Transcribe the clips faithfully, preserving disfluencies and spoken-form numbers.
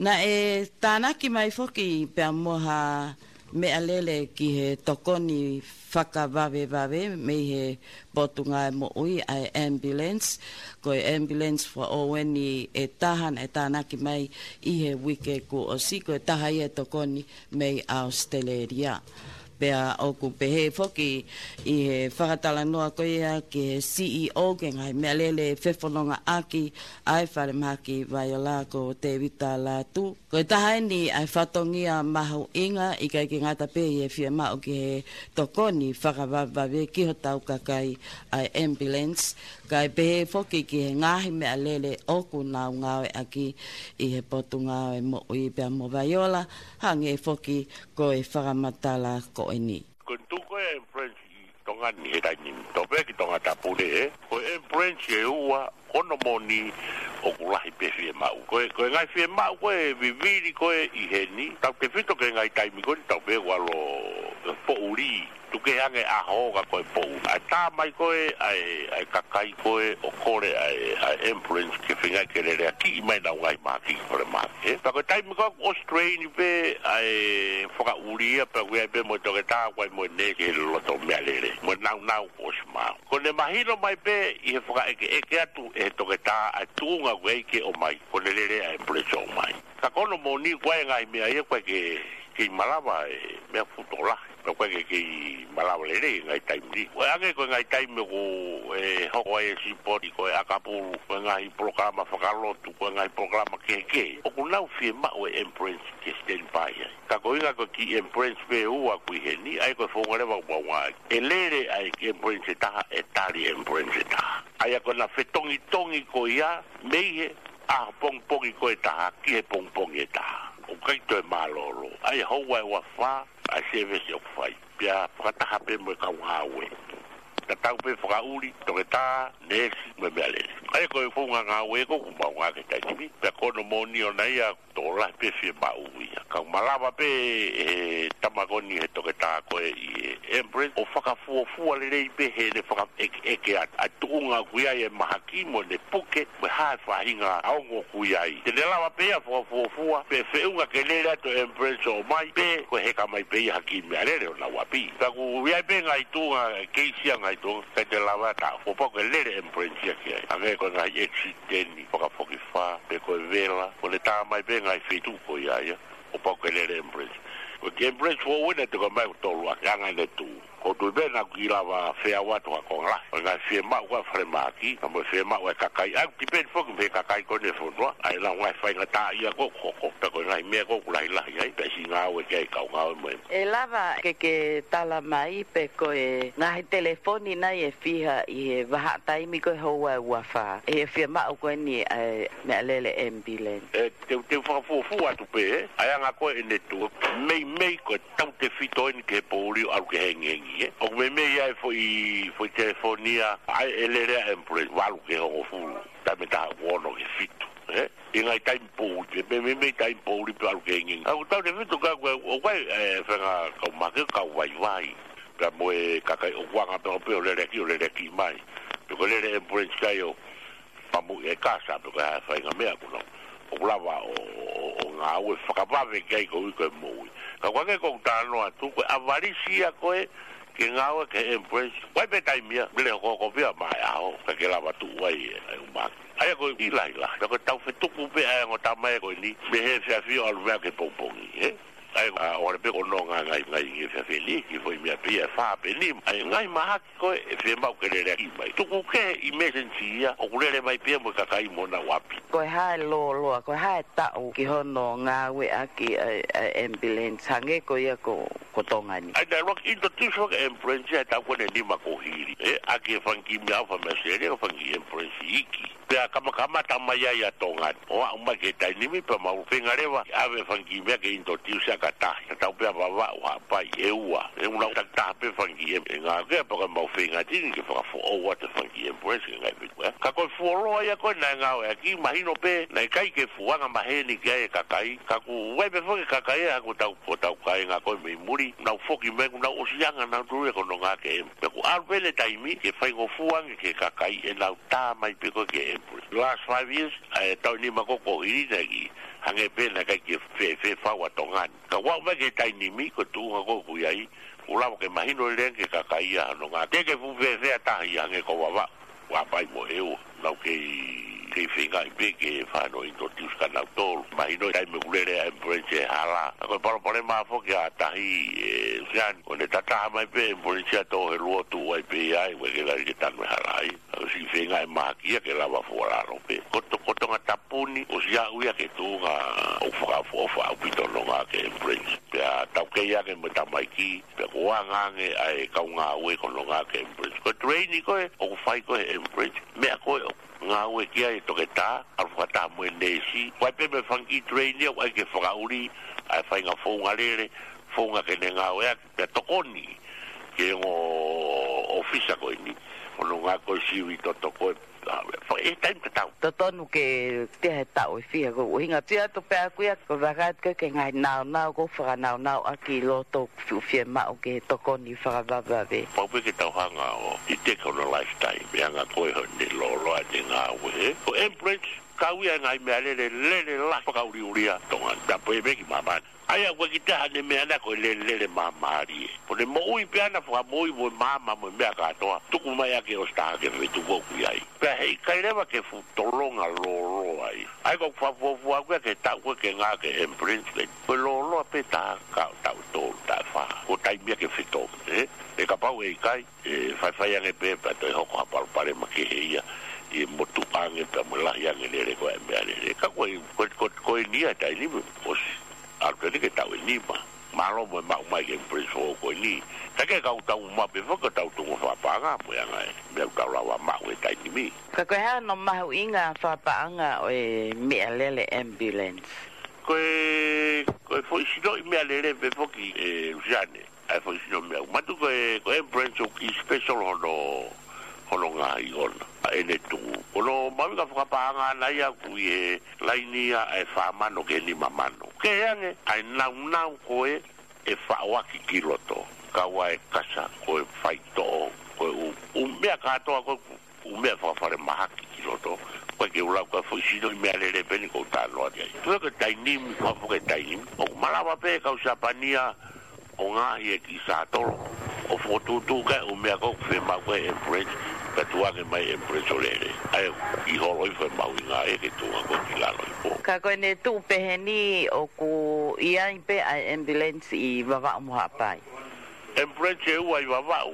Naʻe tānaki mai foki pea mo ha meʻalele ki he tokoni fakavavevave mei he Potungāue Moʻui, ʻa e ambulance. Ko e ambulance fakaʻofoʻofa eni ʻe taha naʻe tānaki mai ʻi he uike kuo ʻosi, ko e taha ia e tokoni mei ʻAositelēlia. Pea ʻoku pehē foki ʻi he fakatalanoa ko ia ki he C E O ki he ngaahi meʻalele fefonongaʻaki ʻa e Falemahaki Vaiola, ko Tēvita Lātū. Ko e taha eni ʻa e fatongia mahuʻinga, ʻikai ke ngata pē ʻi he fiemaʻu ki he tokoni fakavavevave ki hotau kakai ʻa e ambulance, kae pehē foki ki he ngaahi meʻalele ʻoku nau ngāueʻaki ʻi he Potungāue Moʻui pea mo Vaiola, hangē foki ko e fakamatala ko eni. Ko e tuku e ambulance ʻi Tonga ni he taimi ni, tau pehē ki Tongatapu ni, ē? Ko e ambulance ʻe ua, ko hono moʻoni ʻoku lahi pē fiemaʻu. Ko e, ko e ngaahi fiemaʻu ko ē vivili ko ē ʻi heni, tautefito ki he ngaahi taimi ko eni, tau pehē ʻoku ʻalu ʻo poʻuli. Tuku kehe ange ʻaho ka ko e poʻuli. ʻA e tā mai ko ē ʻa e, ʻa e kakai ko ē ʻo kole ʻa e, ʻa e ambulance ke feinga ke leleakiʻi mai ʻenau ngaahi mahaki, kole mahaki. Ē, pea ko e taimi ko ē ʻosi train pē ʻa e fakaʻuli ia, pea ʻoku ʻi ai pē mo e toketā, ʻoku ʻi ai mo e nēsi he loto meʻalele. Mo e naunau ʻosi maʻu. Ko ʻene mahino mai pē ʻi he fakaʻekeʻeke atu ʻe he toketā ʻa e tuʻunga ʻoku ʻi ai ke ʻomai, ko ʻene lele ʻa e ambulance ʻo ʻomai. Ka ko hono moʻoni, ko e ngaahi meʻa ia ʻoku ʻikai ke, ke malava e meʻa fuʻu tokolahi. Pea ʻoku ʻikai ke, ke malava lelei e ngaahi taimi ni. ʻOku ʻi ai ange ko e ngaahi taimi ʻoku, ē, hoko ai e sipoti, ko e ʻakapulu, ko e ngaahi polokalama fakalotu, ko e ngaahi polokalama kehekehe. ʻOku nau fiemaʻu e ambulance ke standby ai. Ka ko e ʻuhinga ko e kiʻi ambulance pē ʻe ua ʻoku ʻi heni, ʻa ia ko e founga leva ʻoku mau ngāueʻaki. ʻE lele ʻa e ambulance ʻe taha, ʻe tali e ambulance ʻe taha. ʻA ia ko ʻena fetongitongi ko ia, mei he ʻaho pongipongi ko ē ʻe taha ki he pongipongi ʻe taha. ʻOku ʻikai toe mālōlō. ʻA ia houa ʻe uafā ʻa e service ʻoku fai. Pea fakataha pē mo e kau ngāue. Tatau pē fakaʻuli, toketā, nēsi, mo e meʻalele. ʻA ia ko e founga ngāue ko ē ʻoku mau ngāueʻaki he taimi ni. Pea ko hono moʻoni ʻona ia, tokolahi pē fiemaʻu ia. Ka ʻoku malava pē ʻe he tama ko eni he toketā ko ē ʻi he ambulance ʻo fakafuofua lelei pē heʻene fakaʻekeʻeke atu ʻa e tuʻunga ʻoku ʻi ai e mahaki mo ʻene puke, mo e hā e faʻahinga ongo ʻoku ʻi ai. Te ne lava pē ia ʻo fakafuofua, pe feʻunga ke lele atu e ambulance ʻo ʻomai, pe ko e heka mai pē ia ha kiʻi meʻalele ʻo nau ʻapi. Ka ʻoku ʻi ai pē ngaahi tuʻunga, keisi ia ngaahi tuʻunga, ʻikai te lava ʻe taha. Kuo pau ke lele e ambulance ia ki ai. Hangē ko e ngaahi accident, fakafokifā, pe ko e vela, ko ʻene tā mai pē ngaahi feituʻu ko ia ia, kuo pau ke lele e ambulance. Ko e kiʻi ambulance foʻou ena te ko mai ʻoku tolu ʻaki ʻa e anga ʻene tuʻu. ʻOku ou tui pē naʻa ʻoku kiʻi lava feau atu ha konga lahi. Ko e ngaahi fiemaʻu ʻa e falemahaki, ka mo e fiemaʻu ʻa e kakai. ʻA ia ʻoku tipeni foki mei he kakai ko ē ʻo e fonua. ʻA ia ʻenau ngaahi faingataʻaʻia ko ē ʻoku hoko. Pea ko e ngaahi meʻa ko ē ʻoku lahilahi ai, pea siʻi ngāue ki ai e kau ngāue mo e. ʻE lava ke ke tala mai pe ko e ngaahi telefoni nai ʻe fiha ʻi he vahaʻa taimi ko ē houa ʻe uafā. ʻI he fiemaʻu ko eni ʻa e meʻalele ambulance. ʻE, te u, te u fakafuofua atu pē, ē? ʻA e anga ko ē ʻene tuʻu. Meimei ko e tautefito eni ki he poʻuli ʻo ʻalu ki he hengihengi, ē? ʻOku meimei ʻi ai e foʻi, foʻi telefoni ia, ʻa e lele ʻa e ambulance, valu ki he hongofulu. Taimi ʻe taha ʻoku ono ki he fitu, ē? ʻI he ngaahi taimi poʻuli, ʻe meimei taimi poʻuli pē ʻalu ki he hengihengi. ʻOku tautefito ka ko e, ʻoku ʻi ai, ē, faʻahinga kau mahaki, kau vaivai. Pea mo e kakai ʻoku anga pē ʻo pehē ʻo leleakiʻi, ʻo leleakiʻi mai. Pe ko e lele ambulance kai ʻo pamu e kasa pe ko e hā e faʻahinga meʻa ʻoku nau. ʻOku lava ʻo, ʻo, ʻo ngāue fakavave ki ai koeʻuhi ko e moʻui. Ka ko e ʻuhinga ko ʻeku talanoa atu, ko e ʻavalisi ia ko ē ke ngāue ki he ambulance. ʻOku ʻi ai pē taimi ia, lele hokohoko pē ia maʻa e ʻaho, ka ke lava tuʻu ai e, e umaki. ʻA ia ko e kiʻi lahilahi. Ka ko e tau fetuku pē ʻa e ongo tama ia ko eni, mei he efiafi ʻo ʻalu mai ki he pongipongi, ē? ʻA ia, ʻa, ʻoku ʻalu pē ko hono ngaahi, ngaahi, ngaahi efiafi ni, kiʻi foʻi meʻa pē ia ʻe fā pe nima. ʻA ia ngaahi mahaki ko ē ʻe fiemaʻu ke leleakiʻi mai. Tuku kehe emergency ia, ʻoku lele mai pē ia mo e kakai mo ʻenau ʻapi. Ko e hā e lōloa, ko e hā e taʻu ki hono ngāueʻaki ʻa e, ʻa e ambulance, hangē ko ia ko, ko Tonga ni. ʻA ia naʻe ʻuluaki introduce ʻa e ambulance ia he taʻu ko eni ʻe nima kuo hili. Ē, ʻaki e fanga kiʻi meʻa ʻofa mei ʻAositelēlia, ko e fanga kiʻi ambulance iiki. Pea kamakamata mai ai ʻa Tonga ni. ʻO aʻu mai ki he taimi ni pea mau feinga leva, ʻave e fanga kiʻi meʻa ke introduce ʻaki ha taha. Ka tau pea Vavaʻu, Haʻapai, ʻEua. ʻE ʻuhinga ʻoku takitaha pē fanga kiʻi em-, ʻe ngāueʻaki, pea ko e mau feinga tini ke fakafoʻou atu e fanga kiʻi ambulance ki he ngaahi feituʻu. Ka ko e fuoloa ia ko ē naʻe ngāueʻaki, mahino pē, naʻe ʻikai ke fuʻu anga maheni ki ai e kakai. Ka ʻoku ʻi ai pē foki e kakai ia, ko ʻetau, ko ʻetau kāinga ko ē mei muli, nau foki mai, kuo nau ʻosi anga nautolu ia ko hono ngāueʻaki e em-. Pea kuo ʻalu pē ʻene taimi, ke faingofua ange ki he kakai, ʻenau tā mai pē ko ē ki he ambulance. Last five years, ʻa e taʻu ʻe nima ko ē kuo hili naʻe kiʻi Hangē pē naʻe ʻikai ke fēfē fau ʻa Tonga ni. Ka ʻoku aʻu mai ki he taimi ni, ko e tuʻunga ko ē ʻoku ʻi ai, ʻoku lava ke mahino lelei ange ki he kakai ia hono ngāue. Teʻeki ke fuʻu fēfē ʻa tahi hangē ko Vavaʻu. ʻOku ʻi ai pē mo ʻEua. Naʻa ku kei, kei feingaʻi pē ke fai hano introduce kia nautolu. Mahino e taimi ʻoku lele ai e Embraer he hala. Ka ko e palopalema foki ʻa tahi, ē, Siani. Ko ʻene tataha mai pē e Embraer ʻo tō he luo, tuʻu ai pē ia, ʻoku ʻikai ke lava ke tanu e hala ai. ʻOsi feingaʻi mahaki ia ke lava fuʻu lalo pē. Ko To-, ko Tongatapu ni, ʻosi aʻu ia ki he tuʻunga ʻoku fakaʻofoʻofa ʻaupito hono ngāue e Embraer. Pea taukei ange mo e tamaiki, pea kuo anga ange ʻa e kau ngāue ko hono ngāue e Embraer. Ko e training ko ē ʻoku fai ko ē he Embraer, meʻa ko ē ʻoku ngāue ki ai e toketā, ʻalu fakataha mo e neesi, ʻoku ʻi ai pē mo e fanga kiʻi training ia ʻoku ʻai ke fakaʻuli ʻa e faʻahinga founga lele, founga ke ne ngāueʻaki, pea tokoni ki he ongo ʻōfisa ko eni, hono ngāue ko e sivi toto ko ē, ʻa, fa-, ʻi he taimi tatau. Totonu ke teʻa he taʻu ʻe fiha, ko e ʻuhinga atu pē ʻaku ia, ko e vakai atu ki he ngaahi naunau, ko e fakanaunau ʻaki ʻi loto ʻoku fiemaʻu ke tokoni fakavavevave. Pau pē ke tau hanga ʻo ʻiteki hono lifestyle, meʻangāue ko ē hono lōloa ʻene ngāue, ē? Ko e Embraer, kau ia e ngaahi meʻalele lele lahi fakaʻuliʻulia Tonga ni, pea pehē ki māmani. ʻA ia ʻoku ʻikai ke ʻi ai haʻane meʻa naʻe ko e lele, lele māmālie. Ko ʻene moʻui pē ʻana, fakamoʻui mo e maama mo e meʻa kātoa. Tuku mai ʻaki ʻo ʻosi taha ki he feituʻu ʻoku ʻi ai. Pea heʻikai leva ke fuʻu tolonga lōloa ia. ʻA ia ko e fakafuofua ko ē ki he taʻu ko ē ke ngāue e Embraer, ko e lōloa pē taha ki he taʻu ʻe tolu, taʻu ʻe fā. Ko e taimi ia ke fetongi, ē? Pea kapau ʻe ʻikai, ʻe faifai ange pē pea toe hoko ha palopalema kehe ia, ʻi he motuʻa ange pea mo e lahi ange e lele ko ē e meʻalele. Ka ko e, ko e, ko e, ko eni ia e taimi ni ʻosi ʻalu pē eni ki he taʻu ʻe nima. Mālō mo e maʻu mai e Embraer foʻou ko eni. Ka ke kau tau maʻu pē foki ʻetau tuʻunga fakapaʻanga mo e anga e meʻa ʻoku tau lava maʻu he taimi ni. Ka ko e hā hono mahuʻinga fakapaʻanga ʻo e meʻalele ambulance? Ko e, ko e foʻi sinoʻi meʻalele pē foki, ē, Lusiane. ʻA e foʻi sinoʻi meʻa. Manatu ko e, ko e Embraer ʻoku special hono, hono ngaahi ʻona. ʻA ʻene tuʻu. Ko hono mahuʻinga fakapaʻanga ʻana ia ʻoku ʻi he laini ia ʻa e fā mano ki he nima mano. Kehe ange ʻa e naunau ko ē ʻe faʻoaki ki loto. Kau ai e kasa, ko e faitoʻo, ko e ʻū, ʻū meʻa kātoa ko ē ʻū meʻa fakafalemahaki ki loto, ko e ke u lau ko e foʻi sinoʻi meʻalele pē eni ʻoku ou talanoa ki ai. Tuku ki he taimi ni, ko e foʻi taimi ni, ʻoku malava pē e kau Siapani ia ʻo ngaohi e kiʻi sātolo, ʻo fokotuʻutuʻu ki ai e ʻū meʻa ko ē ʻoku fiemaʻu ko ē e Embraer, pea tuku ange mai e Embraer ʻo lele. ʻA ia ʻoku holo hifo e mahuʻinga ia ki he tuʻunga ko ē ki lalo hifo. Ka ko ʻene tuʻu pehē ni ʻoku ʻi ai pē ʻa e ambulance ʻi Vavaʻu mo Haʻapai? Ambulance ʻe ua ʻi Vavaʻu,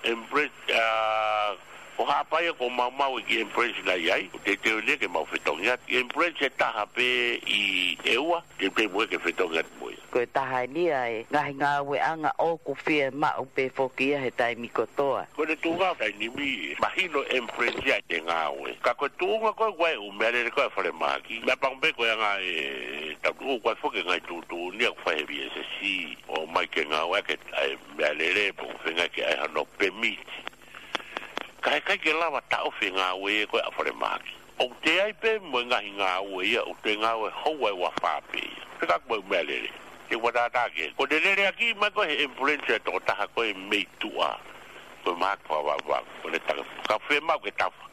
ambulance, ʻa, ko Haʻapai ia ʻoku maumau e kiʻi ambulance naʻe ʻi ai, ʻoku teuteu eni ia ke mau fetongi atu. Ambulance ʻe taha pē ʻi ʻEua, teuteu mo ia ke fetongi atu mo ia. Ko e taha eni ia e ngaahi ngāueʻanga ʻoku fiemaʻu pē foki ia he taimi kotoa. Ko ʻene tuʻunga taimi ni, mahino e ambulance ia ʻene ngāue. Ka ko e tuʻunga ko ē ʻoku ʻi ai e ʻū meʻalele ko ē ʻa e falemahaki, meʻapango pē ko e anga e tau tuʻu ko ē foki e ngaahi tuʻutuʻuni ia ʻoku fai he V S S C, ʻomai ke ngāueʻaki ʻa e meʻalele, pea ʻoku feinga ke ʻai hano permit. Ka heʻikai ke lava taʻofi e ngāue ko ē ʻa e falemahaki. ʻOku toe ʻi ai pē mo e ngaahi ngāue ia, ʻoku toe ngāue houa ʻe uofā pē ia. Fekauʻaki mo e ʻū meʻalele. Ke u fakatātā ki ai. Ko ʻene lele ʻaki mai ko ē he ambulance e tokotaha ko ē mei tuʻa, ko e mahaki fakavavevave, ko ʻene taka. Ka fiemaʻu ke tafa.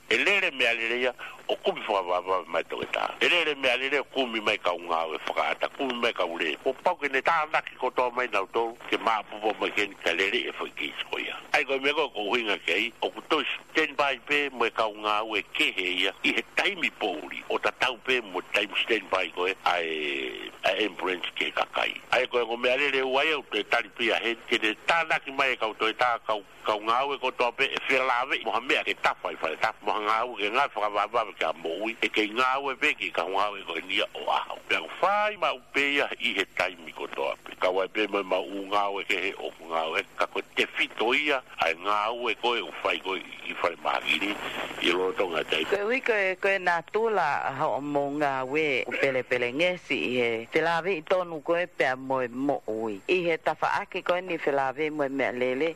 ʻE lele e meʻalele ia ʻo kumi fakavavevave mai e toketā. ʻE lele e meʻalele ʻo kumi mai e kau ngāue fakaʻata, kumi mai e kau lē. Kuo pau ke ne tānaki kotoa mai nautolu, ke maʻupopo mai ki heni kae lele e foʻi keisi ko ia. ʻA ia ko e meʻa ko ē ʻoku ou ʻuhinga ki ai, ʻoku toe standby pē mo e kau ngāue kehe ia ʻi he taimi poʻuli, ʻo tatau pē mo e taimi standby ko ē ʻa e, ʻa e ambulance ki he kakai. ʻA ia ko e ongo meʻalele ʻe ua ia ʻoku toe tali pē ia heni, ke ne tānaki mai e kau toʻetā, kau kau ngāue kotoa pē ʻe felāveʻi mo ha meʻa ke tafa ʻi faletafa, mo ha ngāue ke ngāue fakavavevave ki ha moʻui, ʻe kei ngāue pē ki he kau ngāue ko eni ia ʻo ʻaho. Pea ʻoku fai maʻu pē ia ʻi he taimi kotoa pē. Kau ai pē mo e maʻu ngāue kehe ʻoku ngāue, ka ko e tefito ia ʻa e ngāue ko ē ʻoku fai ko ē ʻi falemahaki ni ʻi lolotonga e taimi. Koeʻuhi ko e, ko e natula ʻa hoʻomou ngāue ʻoku pelepelengesi ʻi he felāveʻi tonu ko ē pea mo e moʻui. ʻI he tafaʻaki ko eni felāveʻi mo e meʻalele,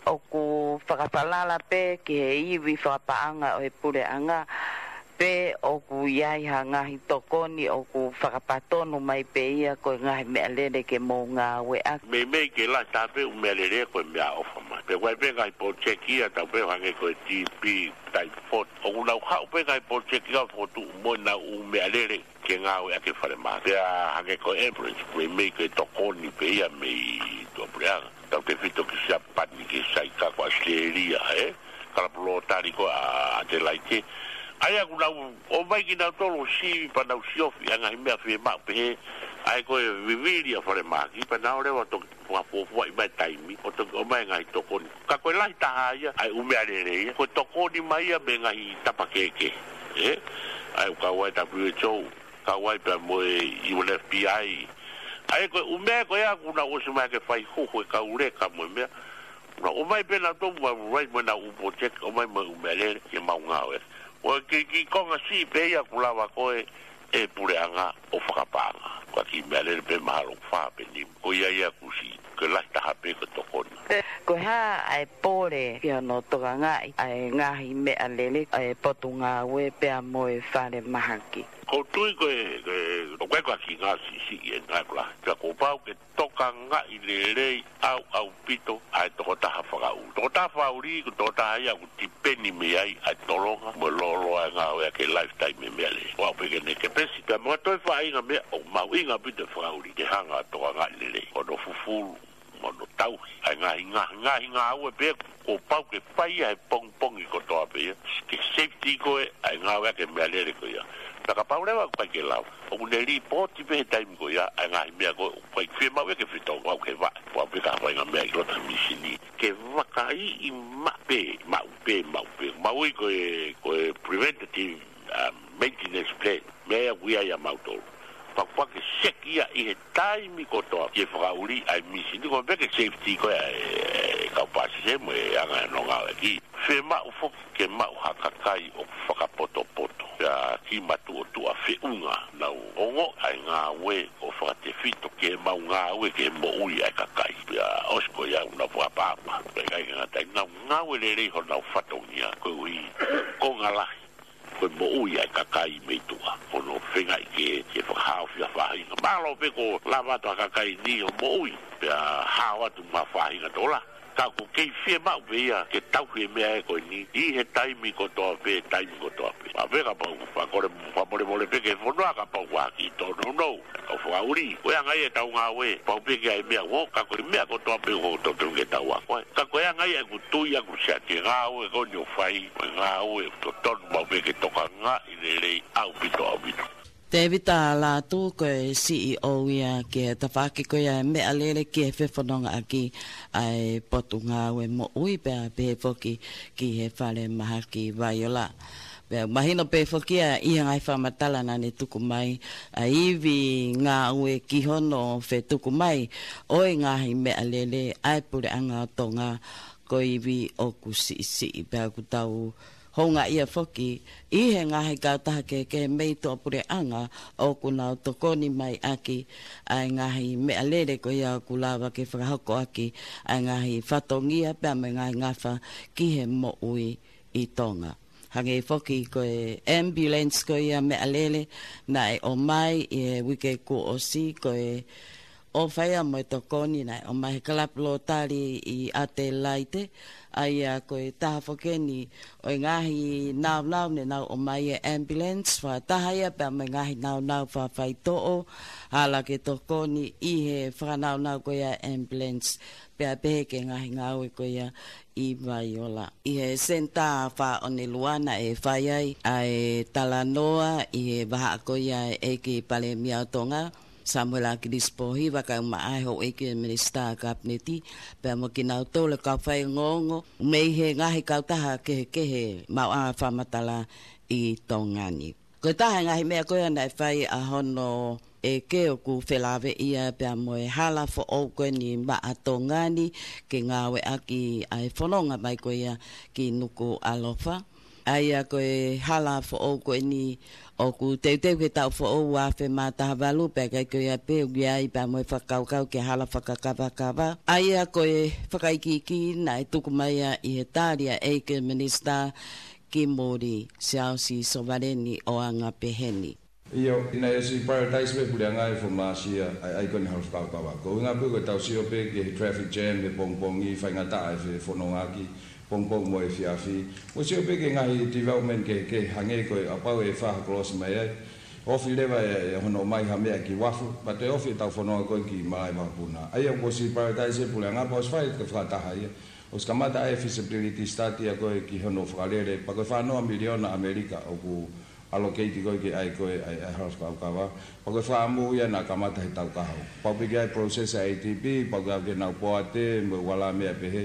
ʻoku fakafalala pē ki he ivi fakapaʻanga ʻo e puleʻanga, pe ʻoku ʻi ai ha ngaahi tokoni ʻoku fakapatonu mai pē ia ko e ngaahi meʻalele ke mou ngāueʻaki? Meimei ke lahi taha pē ʻū meʻalele ko e meʻaʻofa mai. Pea ʻoku ʻi ai pē ngaahi polotieki ia ʻa tautolu pē hangē ko e TB, typhoid. ʻOku nau haʻu pē ngaahi polotieki ia ʻo fokotuʻu mo ʻenau ʻū meʻalele ke ngāueʻaki e falemahaki. Pea hangē ko e ambulance, ko e meʻa ko e tokoni pē ia mei tuʻapuleʻanga. Tautefito ki Siapani, ki Saika, ko ʻAositelēlia, ē? Kalapu Lottery ko ē ʻa ʻAtelaite. ʻA ia ʻoku nau ō mai kinautolu ʻo sivi pea nau siofi ʻa e ngaahi meʻa fiemaʻu pehē. ʻA ia ko e vivili ʻa e falemahaki, pea nau leva toki fakafuofuaʻi mai taimi, ʻo toki ʻomai ngaahi tokoni. Ka ko e lahi taha ia ʻa e ʻū meʻalele ia, ko e tokoni mai ia mei he ngaahi tapa kehekehe. Ē? ʻA ia ʻoku kau ai WHO, kau ai pea mo e U N F P I. ʻA ia ko e ʻū meʻa ko ia ʻoku nau ʻosi mai ke fai huhu e kau leka mo e meʻa. Nau ō mai pē nautolu mo e rai mo ʻenau ʻū polotieki, ō mai mo e ʻū meʻalele ke mau ngāueʻaki. ʻO e kiʻi, kiʻi konga siʻi pē ia ʻoku lava ko ē ʻe he puleʻanga ʻo fakapaʻanga. Ko e kiʻi meʻalele pē mahalo ʻe fā pe nima. Ko ia ia ʻoku siʻi, ko e lahi taha pē ko e tokoni. Ko e hā ʻa e pole ki hono tokangaʻi ʻa e ngaahi meʻalele ʻa e Potungāue pea mo e falemahaki? ʻOku ou tui ko e, ko e, ʻoku ʻi ai ko e kiʻi ngāue siʻisiʻi ʻe ngāue ko e lahi. Ka kuo pau ke tokangaʻi lelei ʻaupito ʻa e tokotaha fakaʻuli. Tokotaha fakaʻuli, ko e tokotaha ia ʻoku tipeni mei ai ʻa e tolonga mo e lōloa ʻa e ngāueʻaki e lifetime e meʻalele. ʻOku pehē ke ne kepesi, pea mo e toe faʻahinga meʻa ʻoku mahuʻinga ʻaupito e fakaʻuli, ke hanga ʻo tokangaʻi lelei hono fufulu, mo hono tauhi ʻa e ngaahi, ngaahi, ngaahi ngāue pē kuo pau ke fai ia he pongipongi kotoa pē ia, ke safety ko ē ʻa e ngāueʻaki e meʻalele ko ia. Pea kapau leva ʻoku ʻikai ke lava, ʻoku ne lipooti pē he taimi ko ia ʻa e ngaahi meʻa ko ē ʻoku ʻikai fiemaʻu ia ke fetongi, ʻoku ke vaʻe, ʻoku pau pē ke fai e ngaahi meʻa ʻi loto he misini. Ke vakaiʻi maʻu pē, maʻu pē, maʻu pē. Maʻu ia ko e, ko e preventative, um, maintenance plan. Meʻa ia ʻoku ʻi ai ʻa mautolu. Pea ʻoku pau ke seki ia ʻi he taimi kotoa, ke fakaʻuli ʻa e misini, ko e pehē ke safety ko ē ʻa e, e kau pāsese mo e anga hono ngāueʻaki. Fiemaʻu foki ke maʻu ha kakai ʻoku fakapotopoto. Pea kiʻi matuʻotuʻa feʻunga, nau ongoʻi ʻa e ngāue ʻo fakatefito ke mau ngāue ke moʻui ʻa e kakai. Pea ʻosi ko ia ʻoku nau fakaʻapaʻapa. Pea ʻikai ke ngata ai, nau ngāue lelei honau fatongia, koeʻuhi ko e konga lahi ko e moʻui ʻa e kakai mei tuʻa. Ko hono feingaʻi ke, ke fakahaofi ha faʻahinga. Mahalo pē kuo lava atu ha kakai ni ʻo moʻui, pea hao atu mo ha faʻahinga tokolahi. Ka ʻoku kei fiemaʻu pē ia ke tauhi e meʻa ko eni ʻi he taimi kotoa pē, taimi kotoa pē. Pea kapau, pea kole fakamolemole pē ki he fonua kapau ʻoku ʻi ai ha kiʻi tōnounou ʻa e kau fakaʻuli. Ko e anga ia ʻetau ngāue, pau pē ke ʻi ai e meʻa ʻoku, ka ko e meʻa kotoa pē ʻoku totonu ke tau ako ai. Ka ko e anga ia ʻeku tui ʻaʻaku, Sea, ki he ngāue ko eni ʻoku fai, ko e ngāue ʻoku totonu pau pē ke tokangaʻi lelei ʻaupito, ʻaupito. Tēvita Lātū, ko e C E O ia ki he tafaʻaki ko ia e meʻalele ki he fefonongaʻaki ʻa e Potungāue Moʻui, pea pehē foki ki he falemahaki Vaiola. Pea mahino pē foki ia ʻi he ngaahi fakamatala naʻa ne tuku mai, ʻa e ivi ngāue ki hono fetuku mai ʻo e ngaahi meʻalele ʻa e Puleʻanga ʻo Tonga, ko e ivi ʻoku siʻisiʻi. Pea ʻoku tau houngaʻia foki ʻi he ngaahi kautaha kehekehe mei tuʻapuleʻanga ʻoku nau tokoni mai ʻaki ʻa e ngaahi meʻalele ko ia ʻoku lava ke fakahoko ʻaki ʻa e ngaahi fatongia pea mo e ngaahi ngafa ki he moʻui ʻi Tonga. Hangē foki ko e ambulance ko ia meʻalele naʻe ʻomai ʻi he uike kuo ʻosi, ko e ʻofa ia mo e tokoni naʻe ʻomai he Kalapu Lottery ʻi ʻAtelaite. ʻA ia ko e taha foki eni ʻo e ngaahi naunau ne nau ʻomai e ambulance, fakataha ia pea mo e ngaahi naunau fakafaitoʻo, hala ke tokoni ʻi he fakanaunau ko ia e ambulance, pea pehē ki he ngaahi ngāue ko ia ʻi Vaiola. ʻI he Senitā Faʻonelua naʻe fai ai ʻa e talanoa ʻi he vahaʻa ko ia e ʻEiki Palēmia ʻo Tonga, Samuela ʻAkilisi Pōhiva, kae ʻumaʻā e houʻeiki e Minisitā Kapineti, pea mo kinautolu e kau faiongoongo mei he ngaahi kautaha kehekehe maʻu ʻa e fakamatala ʻi Tonga ni. Ko e taha e ngaahi meʻa ko ia naʻe fai ʻa hono ʻeke ʻoku felāveʻi ia pea mo e hala foʻou ko eni maʻa Tonga ni ke ngāueʻaki ʻa e fononga mai ko ia ki Nukuʻalofa. ʻA ia ko e hala foʻou ko eni ʻoku teuteu ki he taʻu foʻou ua afe mā taha valu, pea ʻikai ko ia pē, ʻoku ʻi ai pea mo e fakakaukau ki he hala fakakavakava. ʻA ia ko e fakaikiiki naʻe tuku mai ia ʻi he tali ʻa e ʻEiki Minisitā ki muli, Siaosi Sovaleni ʻo anga peheni. ʻIo, naʻe ʻosi prioritize pē puleʻanga ʻi he foʻi māsia ʻa e, ʻa e ʻaho ko eni hala fakakaukau. Ko e ʻuhinga pē ko e tau sio pē ki he traffic jam he pongipongi, faingataʻa e fefonongaʻaki pongipongi mo e efiafi. Mo sio pē ki he ngaahi development kehekehe hangē ko e kapau ʻe fai ha cross mai ai, ofi leva e, e hono ʻomai ha meʻa ki uafu, pea toe ofi e tau fononga ko ē ki malaʻe vakapuna. ʻA ia kuo ʻosi prioritize ʻe he puleʻanga pea ʻosi fai e fakataha ia. ʻOsi kamata ʻa e feasibility study ʻa ko ē ki hono fakalele, pea ko e fā noa miliona ʻAmelika ʻoku allocate ko ē ki he ʻaho ko ē ʻa e, ʻa e hala fakakaukau. Pea ko e fakaʻamu ia naʻe kamata he taʻu kahaʻu. Pau pē ke ʻi ai e process ʻa e ADB, pau ke ʻave ke nau poate, mo e ua la meʻa pehē.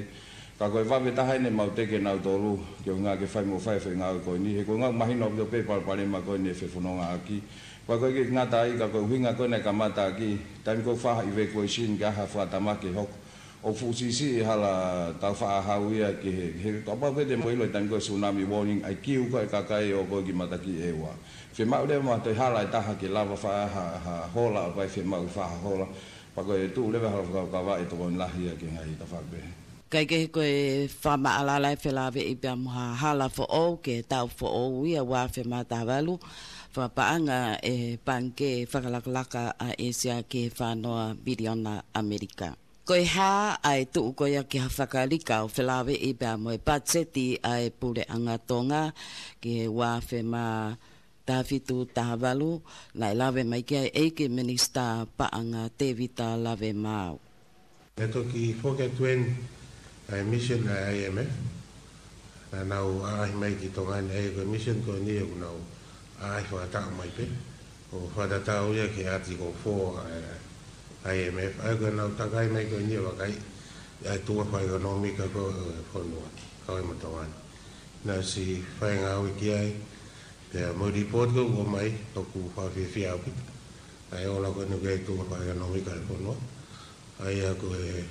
Ka ko e vave taha eni ʻemau teke nautolu, ke ʻuhinga ke fai mo fai e foʻi ngāue ko eni. He ko e ngāue mahino ʻaupito pē palopalema ko eni e fefonongaʻaki. Pea ko e ʻikai ngata ai ka ko e ʻuhinga ko ē naʻe kamata ʻaki, taimi ko ē ʻoku fai ha evacuation ke ʻai ha fakatamaki ke hoko. ʻOku fuʻu siʻisiʻi e hala tau faʻa hau ia ki he, he kapau pē te mou ʻilo e taimi ko ē tsunami warning, ʻa e kiu ko ē e kakai ʻo ʻoku ō ki he matakiʻi ʻEua. Fiemaʻu leva mo ha toe hala ʻe taha ke lava fai ha, ha hola, ʻo kapau ʻe fiemaʻu ke fai ha hola. Pea ko e tuʻu leva e hala fakakaukau ʻe tokoni lahi ia ki he ngaahi tafaʻaki pehē. Kae kehe ko e fakamaʻalaʻala e felāveʻi pea mo ha hala foʻou ki he taʻu foʻou ia ua afe mā taha valu, fakapaʻanga ʻe he Pangikē Fakalakalaka ʻa ʻĒsia ki he fā noa miliona ʻAmelika. Ko e hā ʻa e tuʻu ko ia ki ha fakalika ʻo felāveʻi pea mo e patiseti ʻa e Puleʻanga Tonga ki he ua afe mā taha fitu taha valu, naʻe lave mai ki ai ʻEiki Minisitā Paʻanga Tēvita Lavemaau. Naʻe toki foki atu eni ʻa e mission ʻa e IMF. Naʻa nau ʻaʻahi mai ki Tonga ni, ʻa ia ko e mission ko eni ʻoku nau ʻaʻahi fakataʻu mai pē. ʻO fakatatau ia ki he Article four ʻa e IMF. ʻA ia ko ʻenau takai mai ko eni ʻo vakai ʻa e tuʻunga fakaʻekonōmika ko ē ʻo e fonua, kau ai mo Tonga ni. Naʻa ʻosi fai e ngāue ki ai, pea mo e report ko ē ʻoku ʻomai, ʻoku fakafiefia ʻaupito. ʻA e ola ko eni ki he tuʻunga fakaʻekonōmika ʻo e fonua. ʻA ia ko e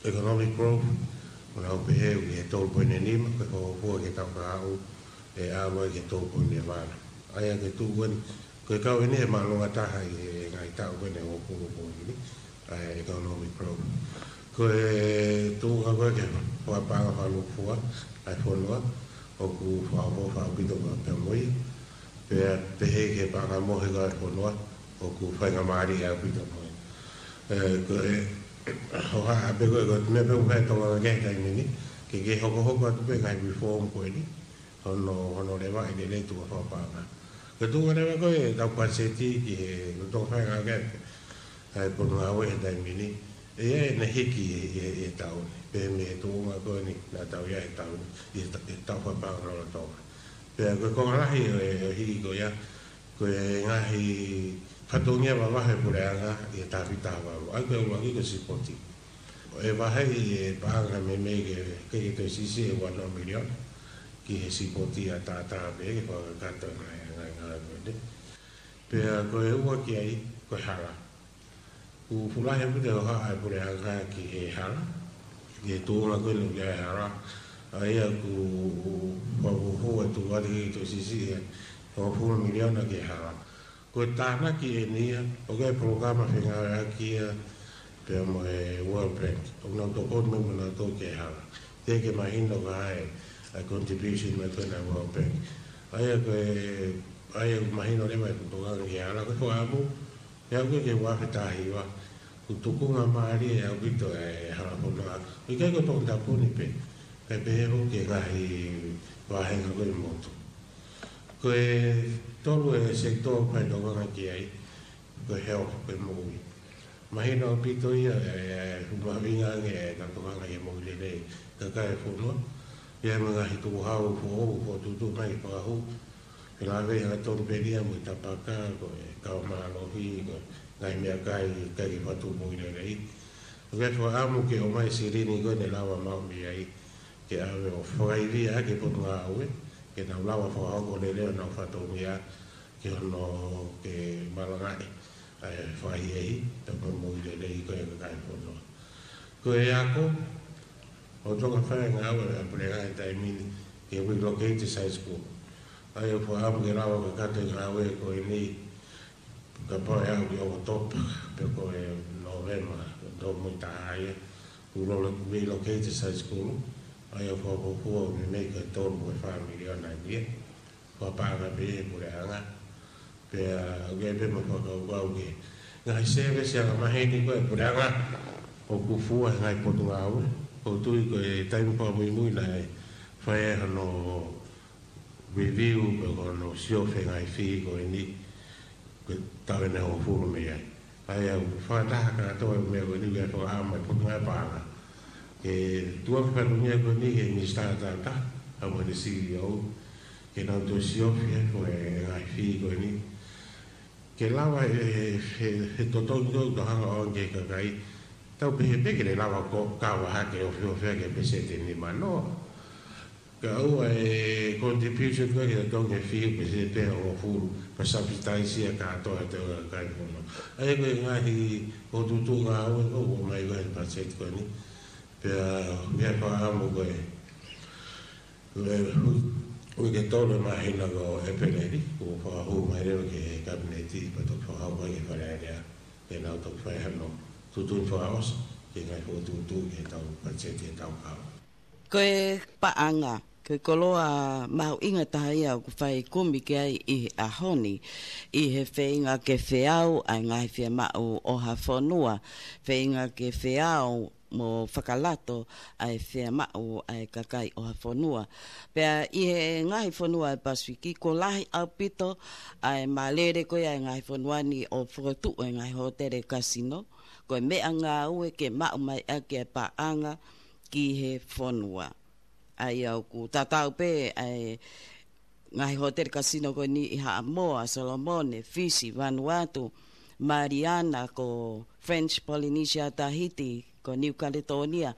economic growth, ʻoku nau pehē ʻoku ʻi he tolu poini nima, ko e fakafuofua ki he taʻu kahaʻu, ʻe ʻalu ai ki he tolu poini ua. ʻA ia ko e tuʻu ko eni, ko e kau eni he māʻolunga taha ʻi he ngaahi taʻu ko eni ʻe hongofulu ko eni, ʻa e economic growth. Ko e tuʻunga ko ē ki he fakapaʻanga fakalūkufua ʻa e fonua, ʻoku fakaʻofoʻofa ʻaupito pea mo ia. Pea pehē ki he paʻanga mohe ko ē ʻa e fonua, ʻoku faingamālie ʻaupito mo ia. ʻE, ko e, hohaʻa pē ko e, ko e meʻa pē ʻoku fai ʻe Tonga ki he taimi ni, ke, ke hokohoko atu pē e ngaahi reform ko eni, hono, hono levaʻi lelei e tuʻunga fakapaʻanga. Ko e tuʻunga leva ko ē ʻetau patiseti ki he, ko e tau fai ngāue ki he, ʻa e Potungāue he taimi ni, ʻe ʻi ai ʻene hiki ʻi he, ʻi he, ʻi he taʻu ni. Pehē mei he tuʻunga ko eni naʻa tau ʻi ai he taʻu ni, ʻi he ta-, ʻi he taʻu fakapaʻanga lolotonga. Pea ko e konga lahi ʻo e, ʻo e hiki ko ia, ko e ngaahi fatongia vavahe ʻa e puleʻanga ʻi he taha fitu taha valu. ʻA ia ko e ʻuluaki ko e sipoti. ʻE vaheʻi e paʻanga meimei ke, ke, ke toe siʻisiʻi e ua noa miliona ki he sipoti ʻataʻatā pē ke fakakakato e ngaahi, ngaahi, ngaahi ko eni. Pea ko e ua ki ai, ko e hala. ʻOku fuʻu lahi ʻaupito e hohaʻa ʻa e puleʻanga ki he hala, ki he tuʻunga ko eni ʻoku ʻi ai e hala. ʻA ia ʻoku fakafuofua e tuʻu atu ke toe siʻisiʻi e hongofulu miliona ki he hala. Ko e tānaki eni ia, ʻoku ʻi ai e polokalama fengāueʻaki ia pea mo e World Bank. ʻOku nau tokoni mai mo nautolu ki he hala. Teʻeki ke mahino ko e hā e contribution mai ko ena ʻa e World Bank. ʻA ia ko e, ʻa ia ʻoku mahino leva e tokanga ki he hala, ko e fakaʻamu, ʻi he aʻu ko ē ki he ua afe taha hiva, ʻoku tukunga mālie ʻaupito e hala fonua. ʻIkai ko Tongatapu ni pē, kae pehē foki ki he ngaahi vāhenga ko ē ʻo e motu. Ko e tolu e sekitoa ʻoku fai e tokanga ki ai, ko e health, ko e moʻui. Mahino ʻaupito ia, e, e, ʻoku mahuʻinga ange ʻetau tokanga ki he moʻui lelei ʻa e kakai e fonua. ʻI ai mo e ngaahi tukuhau foʻou, fokotuʻutuʻu mai ke fakahū. Felāveʻi hangatonu pē ia mo e tapaka, ko e kava mālohi, ko e ngaahi meʻakai, kae ʻikai ke fakatupu moʻui lelei. ʻOku ʻi ai e fakaʻamu ke ʻomai e silini ko ē ne lava maʻu mei ai, ke ʻave ʻo fakaivia ʻaki e Potungāue, ke nau lava fakahoko lelei honau fatongia, ki hono ke malangaʻi ʻa e fakaʻehiʻehi, pea mo e moʻui lelei ko ē ʻa e kakai e fonua. Ko e ako, ʻoku toki fai e ngāue ʻa e puleʻanga he taimi ni ke relocate e side school. ʻA ia ʻoku fakaʻamu ke lava ʻo kakato e ngāue ko eni, kapau ʻe aʻu ki ʻOkatopa, pe ko e Nōvema, tau mui taha ia, ʻoku lolo relocate e side school, ʻa ia ʻoku fakafuofua meimei ko e tolu mo e fā miliona ʻeni ia. Fakapaʻanga pē ʻe he puleʻanga. Pea ʻoku ʻi ai pē mo e fakakaukau ke ngaahi service ʻa e maheni ko e puleʻanga ʻoku fua he ngaahi potungāue. ʻOku ou tui ko e taimi fakamuimui naʻe fai ai hono review pe ko hono siofi e ngaahi fee ko eni, ko e taʻu ʻe hongofulu mei ai. ʻA ia ʻoku fakataha kātoa e meʻa ko eni, ʻoku ʻi ai e fakaʻamu ʻa e Potungāue Paʻanga ke tuku e fatongia ko eni ki he Minisitā Tauta, ʻa mo e C E O, ke nau toe siofi e ko e ngaahi fee ko eni. Ke lava he, he, he totongi ko e tau hanga ʻo ʻoange ki he kakai. Tau pehē pē ke ne lava ʻo kava hake ʻo feofea ki he peseti ʻe nima noa. Ka ʻoua e contribution ko ē ke totongi e fee ʻo peseti ʻe hongofulu, pea subsidize ia kātoa ʻe he kakai fono. ʻA ia ko e ngaahi ʻo tutu ngāue ko ē ʻoku ʻomai ko ē he budget ko eni. Pea ʻoku ʻi ai e fakaʻamu ko e, ko e, ʻoku ke tolu e māhina ko ʻEpeleli, ʻoku fakahū mai leva ki he Kapineti, pea toki fakahū mai ki he Fale Alea. Ke nau toki fai hano tuʻutuʻuni fakaʻosi ki he ngaahi fokotuʻutuʻu ki he tau budget ki he tau kahaʻu. Ko e paʻanga, ko e koloa mahuʻinga taha ia ʻoku fai kumi ki ai ʻi he ʻaho ni, ʻi he feinga ke feau ʻa e ngaahi fiemaʻu ʻo ha fonua, feinga ke feau mo fakalato ʻa e fiemaʻu ʻa e kakai ʻo ha fonua. Pea ʻi he ngaahi fonua ʻo e Pasifiki, kuo lahi ʻaupito ʻa e malele ko ia ʻa e ngaahi fonua ni ʻo fokotuʻu e ngaahi hōtele kasino, ko e meʻangāue ke maʻu mai ʻaki e paʻanga ki he fonua. ʻA ia ʻoku tatau pē ʻa e ngaahi hōtele kasino ko eni ʻi Haʻamoa, Solomone, Fisi, Vanuatu, Maliana, ko French Polynesia, Tahiti, ko New Caledonia.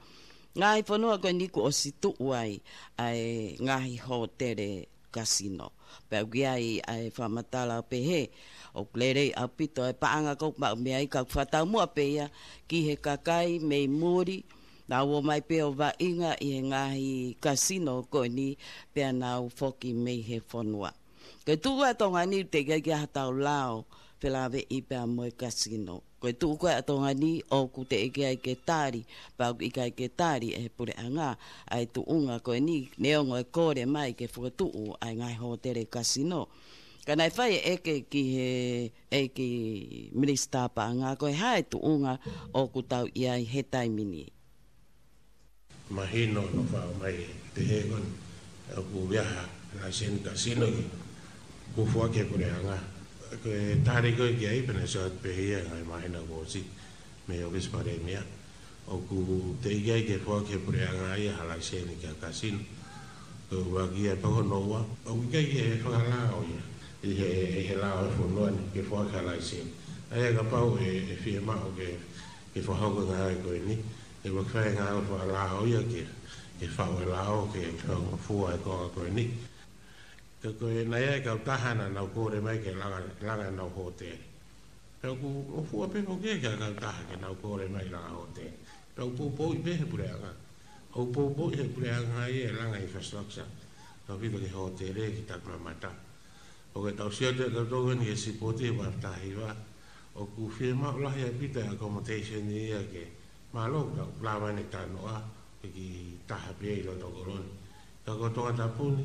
Ngaahi fonua ko eni kuo ʻosi tuʻu ai ʻa e ngaahi hōtele kasino. Pea ʻoku ʻi ai ʻa e fakamatala ʻo pehē ʻoku lelei ʻaupito e paʻanga ko ē ʻoku maʻu mei ai, ka ʻoku fakataumuʻa pē ia ki he kakai mei muli, nau ō mai pē ʻo vaʻinga ʻi he ngaahi kasino ko eni pea nau foki mei he fonua. Ko e tuʻu ʻa Tonga ni teʻeki ai ke ʻi ai ha tau lao felāveʻi pea mo e kasino. Ko e tuʻu ko ē ʻa Tonga ni ʻoku teʻeki ai ke tali, pea ʻoku ʻikai ke tali ʻe he puleʻanga ʻa e tuʻunga ko eni, neongo e kole mai ke fokotuʻu ʻa e ngaahi hōtele kasino. Ka naʻe fai e ʻeke ki he ʻEiki Minisitā Paʻanga ko e hā e tuʻunga ʻoku tau ʻi ai he taimi ni. Mahino no fau mai te he kon ʻoku ʻi ai ha laiseni kasino ki ʻoku foaki ʻe he puleʻanga. Ko e tali ko ē ki ai pea ne sio atu pē ia ngai mahino kuo ʻosi mei he ʻOfisi Palēmia. ʻOku teʻeki ai ke foaki ʻe he puleʻanga ia ha laiseni ki ha kasino. Ko e ua ki ai pea ko hono ua, ʻoku ʻikai ke fakalao ia ʻi he, ʻi he lao ʻo e fonua ni ke foaki ha laiseni. ʻA ia kapau ʻe, ʻe fiemaʻu ke, ke fakahoko e ngāue ko eni, ʻe ua fai e ngāue fakalao ia ke, ke faʻu e lao ke, ke fua e konga ko eni. Ka ko e naʻe ʻi ai e kautaha naʻa nau kole mai ke langa, langa ʻenau hōtele. Pea ʻoku, ʻoku fua pē foki ki he kautaha ke nau kole mai langa hōtele. Pea ʻoku poupouʻi pē ʻe he puleʻanga. ʻOku poupouʻi ʻe he puleʻanga ia e langa infrastructure. Tau pito ki he hōtele ki Takimamata. ʻOku tau sio atu tautolu eni ki he sipoti ʻi he ua taha hiva. ʻOku fiemaʻu lahi ʻaupito e accommodation ia ke mālō ka ʻoku lava ʻene talanoa ʻe ki taha pē ʻi loto kolo ni. Ka ko Tongatapu ni,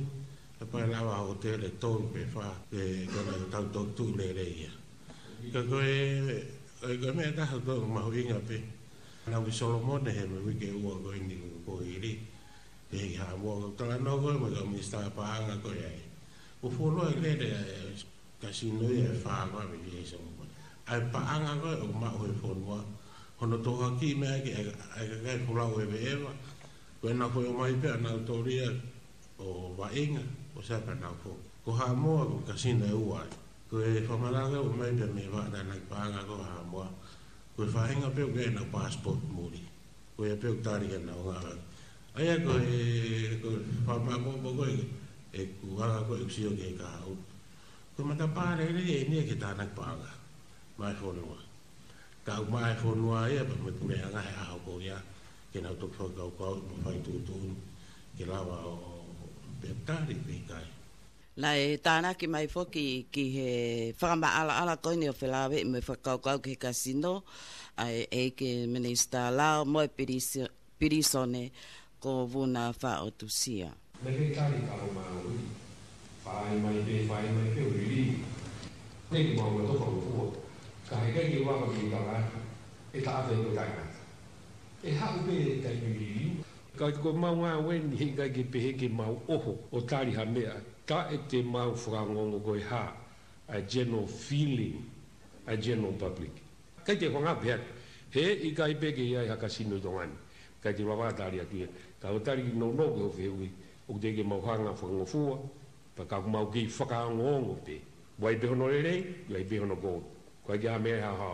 kapau ʻe lava hōtele ʻe tolu pe fā, ʻe kona tau toki tuʻu lelei ia. Ka ko e, ko e, ko e meʻa ʻe taha ʻoku mahuʻinga pē. Naʻa ku ʻi Solomone he mo e uike ʻe ua ko eni kuo hili. Pea ʻi Haʻamoa, ʻoku talanoa ko ē mo e kau Minisitā Paʻanga ko ē ai. ʻOku fuoloa e lele ʻa e kasino ia ʻe fā ko ē mei he Solomone. ʻA e paʻanga ko ē ʻoku maʻu ʻe he fonua. Hono tohoakiʻi mai ʻaki ʻa e, ʻa e kakai folau ʻeveʻeva. Ko ʻenau foʻi ō mai pē ʻa nautolu ia ʻo vaʻinga, ʻo sai pea nau foki. Ko Haʻamoa ko e kasino ʻe ua ai. Ko e fakamatala ʻoku ʻomai pē mei he Vaʻa Tānaki Paʻanga ko Haʻamoa. Ko e faʻahinga pē ʻoku ʻi ai ʻenau passport muli. Ko ia pē ʻoku tali ke nau ngāue. ʻA ia ko e, ko e fakamāʻopoʻopo ko ē, ʻeku anga ko ē ʻeku sio ki he kahaʻu. Ko e matapā lelei ʻeni ia ki he Tānaki Paʻanga maʻa e fonua. Ka ʻoku maʻa e fonua ia pea mo e puleʻanga he ʻaho ko ia ke nau toki fakakaukau mo fai tuʻutuʻuni ke lava ʻo, ʻo pe tali pe ʻikai. Naʻe tānaki mai foki ki he fakamaʻalaʻala ko eni ʻo felāveʻi mo e fakakaukau ki he kasino ʻa e ʻEiki Minisitā Lao mo e Pilisi-, Pilīsone ko Vuna Faʻotusia. Naʻe kei tali ka ʻo maui. Fai mai pē, fai mai pē ʻo liliu. Te ke mau ua toka ua fua. Ka he kai ke vaka mi tala atu. E taʻafe ko taʻengata. ʻE haʻu pē taimi liliu. Ka ko mau ngāue ni he kai ke pehē ke mau ʻoho ʻo tali ha meʻa. Taʻe te mau fakaongoongo ko e hā. A general feeling. A general public. Kai te fanga pehē. He ʻikai pē ke ʻi ai ha kasino ʻi Tonga ni. Kai te vava tali atu ia. Ka ʻo tali ki nounou ke o fehuʻi. ʻOku te ke mau hanga fakangofua. Pea ka mau kei fakaongoongo pē. Vai pē hono lelei, vai pē hono kovi. Ko e ke ha meʻa ha ha.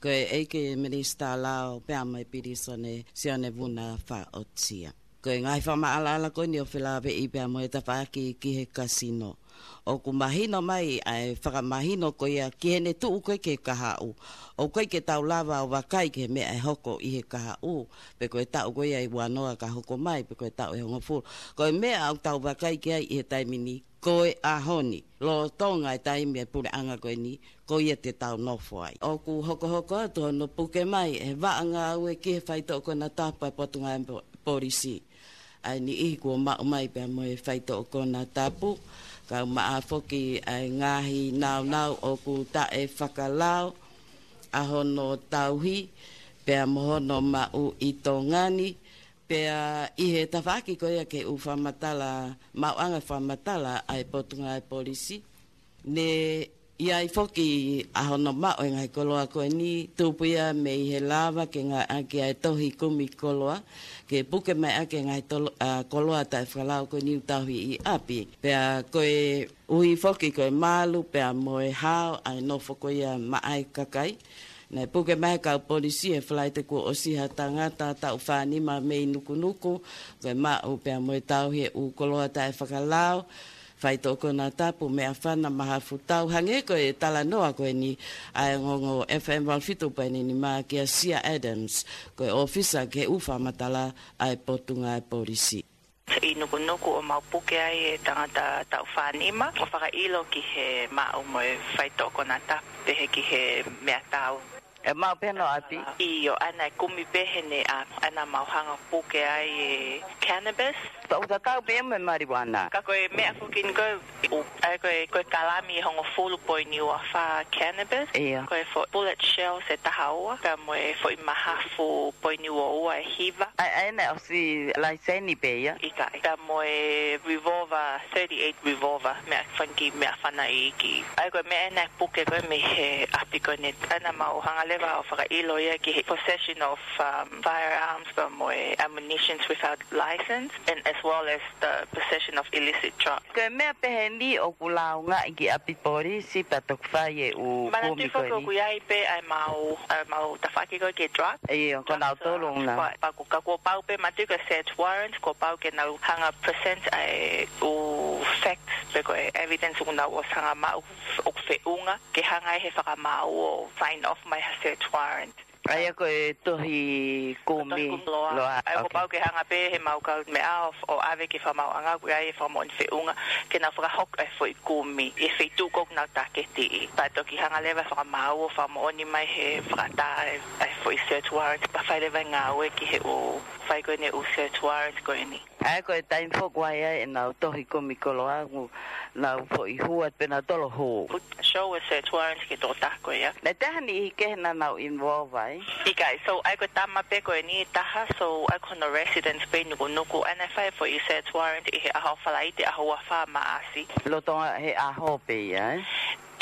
Ko e ʻEiki Minisitā Lao pea mo e Pilisone Sione Vuna Faʻotia. Ko e ngaahi fakamaʻalaʻala ko eni ʻo felāveʻi pea mo e tafaʻaki ki he kasino. ʻOku mahino mai ʻa e fakamahino ko ia ki heʻene tuʻu ko ē ki he kahaʻu. ʻOku ʻikai ke tau lava ʻo vakai ki he meʻa ʻe hoko ʻi he kahaʻu. Pe ko e taʻu ko ia ʻe uanoa ka hoko mai, pe ko e taʻu ʻe hongofulu. Ko e meʻa ʻoku tau vakai ki ai ʻi he taimi ni, ko e ʻaho ni, lolotonga e taimi e puleʻanga ko eni, ko ia te tau nofo ai. ʻOku hokohoko atu hono puke mai, ʻe he vaʻa ngāue ki he faitoʻo konatapu ʻa e Potungāue Po-, Polisi. ʻA e niʻihi kuo maʻu mai pea mo e faitoʻo konatapu, kae ʻumaʻā foki ʻa e ngaahi naunau ʻoku taʻefakalao, ʻa hono tauhi, pea mo hono maʻu ʻi Tonga ni, pea ʻi he tafaʻaki ko ia ke u fakamatala, maʻuʻanga fakamatala ʻa e Potungāue Polisi. Ne ʻi ai foki ʻa hono maʻu e ngaahi koloa ko eni, tupu ia mei he lava ke ngāueʻaki ʻa e tohi kumi koloa, ke puke mai ʻaki e ngaahi tolo-, ʻa, koloa taʻefakalao ko eni ʻoku tauhi ʻi ʻapi. Pea ko e ʻuhi foki ko e malu, pea mo e hao, ʻa e nofo ko ia maʻa e kakai. Naʻe puke mai ʻe he kau polisi he Falaite kuo ʻosi ha tangata taʻu fānima mei Nukunuku, ko e maʻu pea mo e tauhi e ʻū koloa taʻefakalao, faitoʻo konatapu, meʻafana, mahafutau, hangē ko e talanoa ko eni ʻa e ongoongo F M valu fitu poini nima kia Sia Adams, ko e ʻōfisa ki he ʻū fakamatala ʻa e Potungāue Polisi. ʻI Nukunuku ʻo mau puke ai e tangata taʻu fānima, ʻo fakaʻilo ki he maʻu mo e faitoʻo konatapu, pehē ki he meʻatau. ʻE maʻu pē hono ʻapi? ʻIo, ʻa ia naʻe kumi pē heʻene ʻapi, ʻa ia naʻa mau hanga ʻo puke ai e cannabis. Ka ʻoku tatau pē mo e marijuana. Ka ko e meʻa foki ni ko e, ʻa ia ko e, ko e kalami ʻe hongofulu poini ua fā cannabis. ʻIo. Ko e foʻi bullet shells ʻe taha ua, pea mo e foʻi mahafu poini ua ua ʻe hiva. ʻA ia, ʻa ia naʻe ʻosi laiseni pē ia? ʻIkai, pea mo e revolver, thirty-eight revolver, meʻa fanga kiʻi meʻafana iiki. ʻA ia ko e meʻa ena ʻe puke ko ē mei he ʻapi ko eni, ʻa ia naʻa mau hanga leva ʻo fakaʻilo ia ki he possession of, um, firearms, pea mo e ammunitions without license, and as well as the possession of illicit drugs. Ko e meʻa pehē ni ʻoku lāungaʻi ki ʻapi polisi pea toki fai e ʻū kumi ko eni. Manatuʻi foki ʻoku ʻi ai pē ʻa e mau, ʻa e mau tafaʻaki ko ē ki he drug. ʻIo, ko nautolu na. Pea, pea kuo, ka kuo pau pē, manatuʻi ko e search warrant, kuo pau ke nau hanga present ʻa e ʻū facts, pe ko e evidence ʻoku nau ʻosi hanga maʻu ʻoku feʻunga, ke hanga ʻe he fakamaau ʻo sign off mai ha search warrant. ʻA ia ko e tohi kumi. Tohi kumi koloa. Koloa, ʻa ia kuo pau ke hanga pē he mau kau meʻa ʻo, ʻo ʻave ki he fakamaauʻanga, ʻoku ʻi ai e fakamoʻoni feʻunga, ke nau fakahoko e foʻi kumi ʻi he feituʻu ʻoku nau tāketiʻi. Pea toki hanga leva e fakamaau ʻo fakamoʻoni mai he fakaʻatā e, e foʻi search warrant, pea fai leva e ngāue ki he ʻū, fai ko eni e ʻū search warrant ko eni. ʻA ia ko e taimi foki ʻoku ʻi ai ʻenau tohi kumi koloa, ʻoku nau foʻi hua pē nautolu hū. Put, show a search warrant ki he tokotaha ko ia. Naʻe ʻi ai ha niʻihi kehe naʻa nau involve ai? ʻIkai, so ʻa ia ko e tama pē ko eni ʻe taha, so ʻa ia ko hono residence pē ʻi Nukunuku, ʻa ia naʻe fai e foʻi search warrant ʻi he ʻaho Falaite, ʻaho ua fā Maʻasi. Lolotonga he ʻaho pē ia, ē?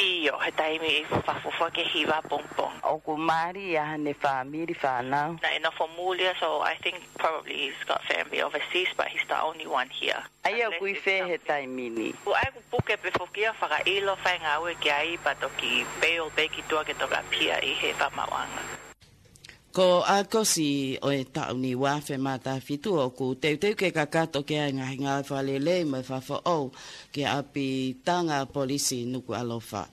ʻIo, he taimi ʻi he fakafuofua ki he hiva pongipongi. ʻOku mali ia haʻane fāmili, fānau? Naʻe nofo muli ia, so I think probably he's got family overseas, but he's the only one here. ʻA ia ʻoku ʻi fē he taimi ni? Unless it's something. ʻA ia ʻoku puke pē foki ia ʻo fakaʻilo, fai ngāue ki ai, pea toki bail pē ki tuʻa ke toki ʻapia ʻi he fakamaauʻanga. Ko ʻAokosi ʻo e taʻu ni ua afe mā taha fitu ʻoku teuteu ke kakato ki ai e ngaahi ngāue fakalelei mo e fakafoʻou ki he ʻapitanga polisi Nukuʻalofa.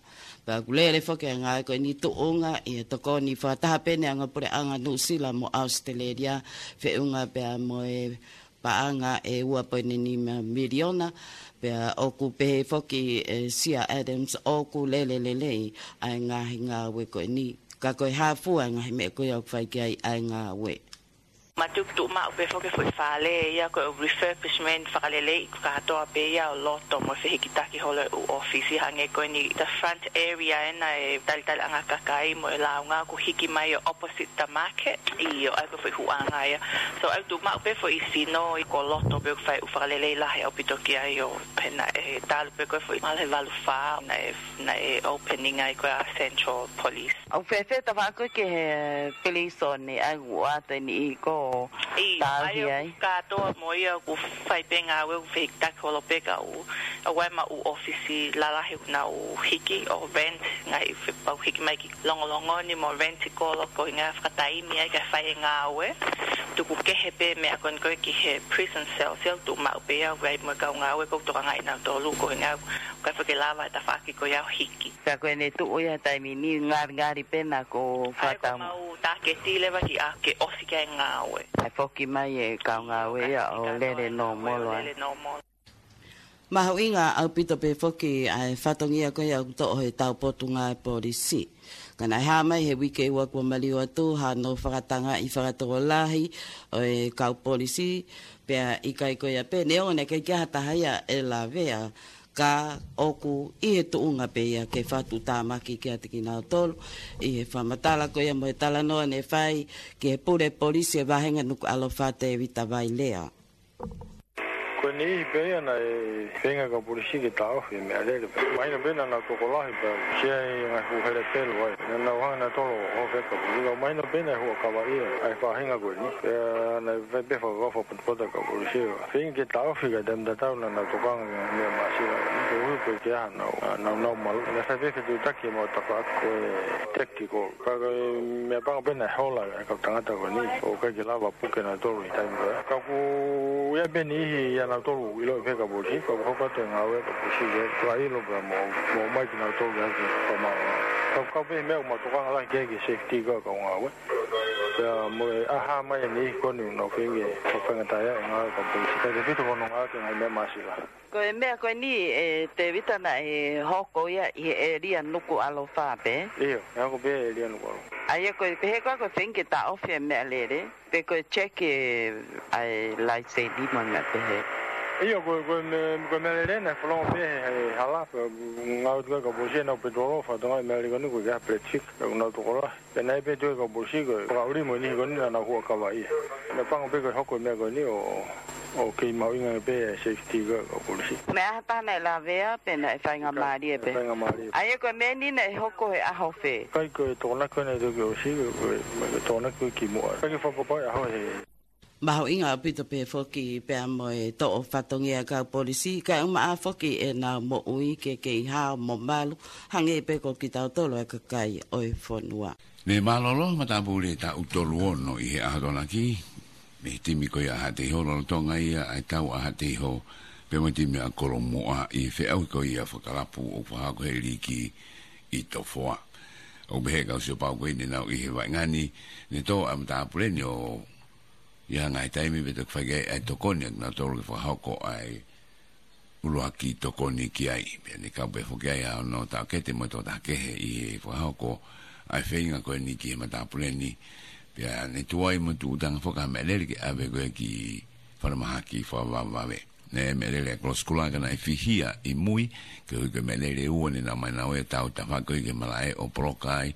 Pea ʻoku lele foki e ngāue ko eni tuʻunga ʻi he tokoni fakataha pē ʻa e ongo puleʻanga Nuʻusila mo ʻAositelēlia, feʻunga pea mo e paʻanga ʻe ua poini nima miliona, pea ʻoku pehē foki ʻe Sia Adams ʻoku lele lelei ʻa e ngaahi ngāue ko eni. Ka ko e hā fua e ngaahi meʻa ko ia ʻoku fai ki ai ʻa e ngāue. Mātuʻaki tuʻu maʻu pē foki e foʻi fale ia ko e refurbishment, fakaleleiʻi kātoa pē ia ʻo loto mo e fehikitaki holo e ʻū ʻōfisi, hangē ko eni the front area ena e talitaliʻanga kakai mo e lāunga ʻoku hiki mai ʻo opposite the market. ʻIo, ʻa ia ko e foʻi huʻanga ia. So ʻoku tuʻu maʻu pē foʻi sino ia ko e loto pē ʻoku fai e ʻū fakalelei lahi ʻaupito ki ai ʻo he naʻe talu pē ko e foʻi māhina ʻe valu fā naʻe, naʻe opening ai ko e Central Police. ʻOku fēfē e tafaʻaki ki he pilīsone ʻa ia ʻoku ʻoatu e niʻihi ko ʻIo, ʻa ia ʻoku kātoa mo ia ʻoku fai pē ngāue ʻoku fehikitaki holo pē ka ʻoku, ʻoku ʻi ai e ʻū ʻōfisi lalahi ʻoku nau hiki ʻo rent, ngaahi fe-, pau hiki mai ki Longolongo ni mo rent ʻi kolo ko e ʻuhinga fakataimi ai ke fai e ngāue. Tuku kehe pē meʻa ko eni ko e ki he prison cell, cell tuʻu maʻu pē ia ʻoku ʻi ai mo e kau ngāue ʻoku tokangaʻi kinautolu ko e ʻuhinga ʻoku ʻikai foki ke lava e tafaʻaki ko ia ʻo hiki. Ka ko ʻene tuʻu ia he taimi ni ngalingali pē naʻa ku ʻA ia ko e fakatau. Mau tāketi leva ki ai ke ʻosi ki ai e ngāue. ʻE foki mai e kau ngāue ia ʻo lele nōmolo ai. Lele nōmolo. Mahuʻinga ʻaupito pē foki ʻa e fatongia ko ia ʻoku toʻo he taupotunga e polisi. Ka naʻe hā mai he uike ua kuo maliu atu hano fakatangaʻi fakatokolahi ʻo e kau polisi, pea ʻikai ko ia pē, neongo naʻe ʻikai ke ʻi ai ha taha ia ʻe lavea, ka ʻoku ʻi he tuʻunga pē ia ke fakatuʻutāmaki kiate kinautolu. ʻI he fakamatala ko ia mo e talanoa naʻe fai ki he pule polisi e vāhenga Nukuʻalofa Tēvita Vailea. Ko e niʻihi pē ia naʻe feinga e kau polisi ke taʻofi e meʻalele pē. Mahino pē naʻa nau tokolahi pē, sia i ngaahi fuʻu hele pelu ai. Naʻa nau hanga nautolu ʻo hoko ko e kau polisi. Ka mahino pē naʻe huʻakavaʻi ia ʻa e faʻahinga ko eni. Pea naʻe fai pē fakakaukau fakapotopota e kau polisi. Feinga ke taʻofi ka taimi tatau naʻa nau tokanga ki he meʻa māsila. Ko e ʻuhi ko e ke aha nau, nau, nau malu. Naʻe fai pē fetuʻutaki mo tafaʻaki ko e tactical. Ka ko e meʻa pango pē naʻe hola e kau tangata ko eni. ʻOku ʻikai ke lava puke nautolu ʻi he taimi ko ia. Ka ʻoku ʻi ai pē niʻihi ia nautolu ʻiloʻi pē kau polisi. Ka ʻoku hoko atu e ngāue kau polisi ke fakaʻilo pē mo, mo ʻomai kinautolu ke haki fakamau. Ka ʻoku kau pē meʻa ʻoku mau tokanga lahi ki he safety ko e kau ngāue. Pea mo e ʻaha mai e niʻihi ko eni ʻoku nau feinga ke fakafaingataʻaʻia e ngāue kau polisi. Kae tefito ko hono ngāue ki he ngaahi meʻa māsila. Ko e meʻa ko eni ē Tēvita naʻe hoko ia ʻi he ʻēlia Nukuʻalofa pē? ʻIo, ʻe hoko pē ʻēlia Nukuʻalofa. ʻA ia ko e pehē ko ē ko e feinga ke taʻofi e meʻalele, pe ko e check e ʻa e laiseni mo e meʻa pehē? ʻIo, ko e, ko e me-, ko e meʻalele naʻe fanongo pē he, he hala, pea ngāue atu e kau polisi ʻenau petrol, fakatokangaʻi e meʻalele ko eni ʻoku ʻikai ke ʻi ai ha plate check, pea ʻoku nau tokolahi. Pea naʻe pehē atu e kau polisi ko e fakaʻuli mo e niʻihi ko eni naʻa nau huʻakavaʻi ia. Naʻe pango pē ko e hoko e meʻa ko eni ʻo, ʻo kei mahuʻinga pē e safety ko e kau polisi. Meʻa ʻa ha taha naʻe lavea pe naʻe faingamālie pē? Faingamālie. ʻA ia ko e meʻa ni naʻe hoko he ʻaho fē? ʻIkai, ko e Tokonaki naʻe toki ʻosi, ko e, ko e Tokonaki ki muʻa. ʻIkai ke fakapapauʻi ʻaho he. Mahuʻinga ʻaupito pē foki pea mo e toʻo fatongia e kau polisi, kae ʻumaʻā foki ʻenau moʻui ke kei hao mo malu, hangē pē ko kitautolu e kakai ʻo e fonua. Ne mālōlō matāpule taʻu tolu ono ʻi he ʻaho Tokonaki, mei he timi ko ia ʻa Haʻateiho, lolotonga ia ʻa e tau ʻa Haʻateiho, pea mo e timi ʻa Kolomuʻa ʻi he feʻauhi ko ia fakalapu ʻoku fakahoko he liki ʻi Tofoa. ʻOku pehē ʻe he kau siopau ko ē ne nau ʻi he vaʻinga ni, ne tō ʻa e matāpule ni ʻo ʻi ai ha ngaahi taimi pea toki fai ki ai ʻa e tokoni ʻa kinautolu ke fakahoko ʻa e ʻuluaki tokoni ki ai. Pea ne kau pē foki ai ʻa hono taʻokete mo e tokotaha kehe ʻi he fakahoko ʻa e feinga ko eni ki he matāpule ni. Pea ne tuai mo tuʻutanga foki ha meʻalele ke ʻave ko ē ki falemahaki fakavavevave. Ne meʻalele ʻa e kolosi kulā ka naʻe fihia ʻi mui, koeʻuhi ko e meʻalele ʻe ua ne nau ō mai nautolu ʻo tau tafaʻaki ko ē ke malaʻe ʻo poloka ai.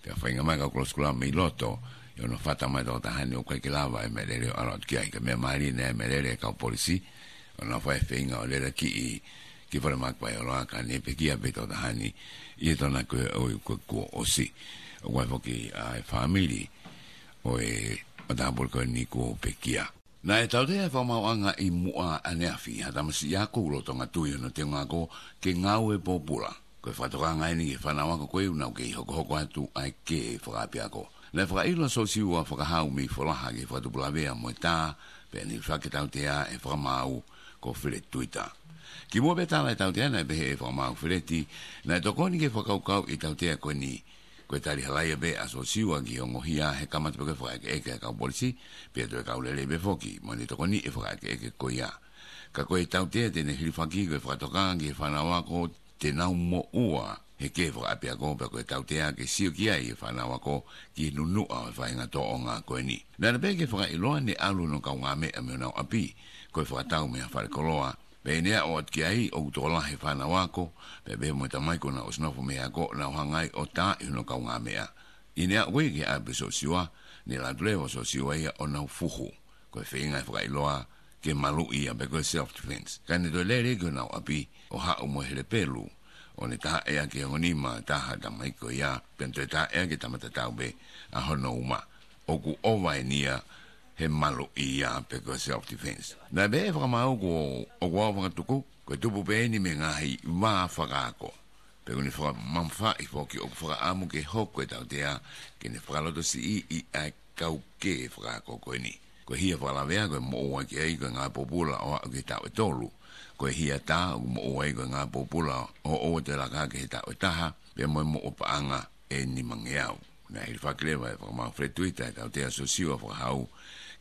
Pea feinga mai e kau kolosi kulā mei loto, ʻi hono fata mai e tokotaha ni ʻoku ʻikai ke lava e meʻalele ʻo ʻalu atu ki ai. Ka meʻa mālie naʻe meʻalele e kau polisi, ʻo nau fai e feinga ʻo lele ki, ki falemahaki Paeoloa ka ne pekia pē e tokotaha ni, ʻi he Tokonaki ko ē ʻo ʻi ko kuo ʻosi. ʻOku ʻi ai foki ʻa e fāmili ʻo e matāpule ko eni kuo pekia. Naʻe tautea e fakamaauʻanga ʻi Muʻa ʻaneafi ha tamasiʻi ako ʻoku lolotonga tui hono teunga ako ke ngāue pōpula. Ko e fakatokanga eni ki he fānau ako ko ē ʻoku nau kei hokohoko atu ʻa e kē fakaʻapiako. Naʻe fakaʻilo ʻa Sosiua Fakahau mei Folaha ki he Fakatupu Lavea mo e Tā, pea ne fakatautea ʻe he fakamaau ko Feleti Tuita. Kimuʻa pea tala e tautea naʻe pehē ʻe he fakamaau Feleti, naʻe tokoni ki he fakakaukauʻi e tautea ko eni, ko e tali halaia pē ʻa Sosiua ki he ongohia he kamata pē ko ē e fakaʻekeʻeke ʻa e kau polisi, pea toe kau lelei pē foki mo ʻene tokoniʻi e fakaʻekeʻeke ko ia. Ka ko e tautea te ne hilifaki ko e fakatokanga ki he fānau ako te nau moʻua ʻe kē fakaʻapiako pea ko e tautea ke sio ki ai e fānau ako ki he nunuʻa ʻo e faʻahinga tōʻonga ko eni. Naʻe pehē ki he fakaʻiloa naʻe ʻalu hono kaungāmeʻa mei honau ʻapi, ko e fakatau mei ha fale koloa, pea ʻi heʻene aʻu atu ki ai ʻoku tokolahi e fānau ako, pea pehē mo e tamai kuo nau ʻosi nofo mei he ako, nau hanga ai ʻo taaʻi hono kaungāmeʻa. ʻI heʻene aʻu ko ia ki he ʻapi ʻo Siosiua, naʻe ʻalu atu leva ʻa Siosiua ia ʻo nau fuhu. Ko e feinga e fakaʻiloa ke maluʻi ia pe ko e self-defense. Ka ne toe lele ki honau ʻapi ʻo haʻu mo e helepelu, ʻo ne tahaʻi ʻaki e ongo nima ʻa e taha tamai ko ia, pea ne toe tahaʻi ʻaki e tama tatau pē ʻa hono uma. ʻOku ʻova eni ia he maluʻi ia pe ko e self-defense. Naʻe pehē ʻe he fakamaau ko ʻoku ou fakatuku, ko e tupu pē eni mei he ngaahi vā fakaako. Pea ʻoku ne fakamamafaʻi foki ʻoku fakaʻamu ke hoko e tautea ke ne fakalotosiʻi ʻa e kau kē fakaako ko eni. Ko e hia fakalavea ʻoku moʻua ki ai ko e ngāue pōpula ʻo aʻu ki he taʻu ʻe tolu. Ko e hia tā ʻoku moʻua ai ko e ngāue pōpula ʻo ʻoua toe laka ki he taʻu ʻe taha, pea mo e moʻua paʻanga ʻe nimangeau. Naʻe hilifaki leva ʻe he fakamaau feletuita ʻa e tautea ʻa Siosiua Fakahau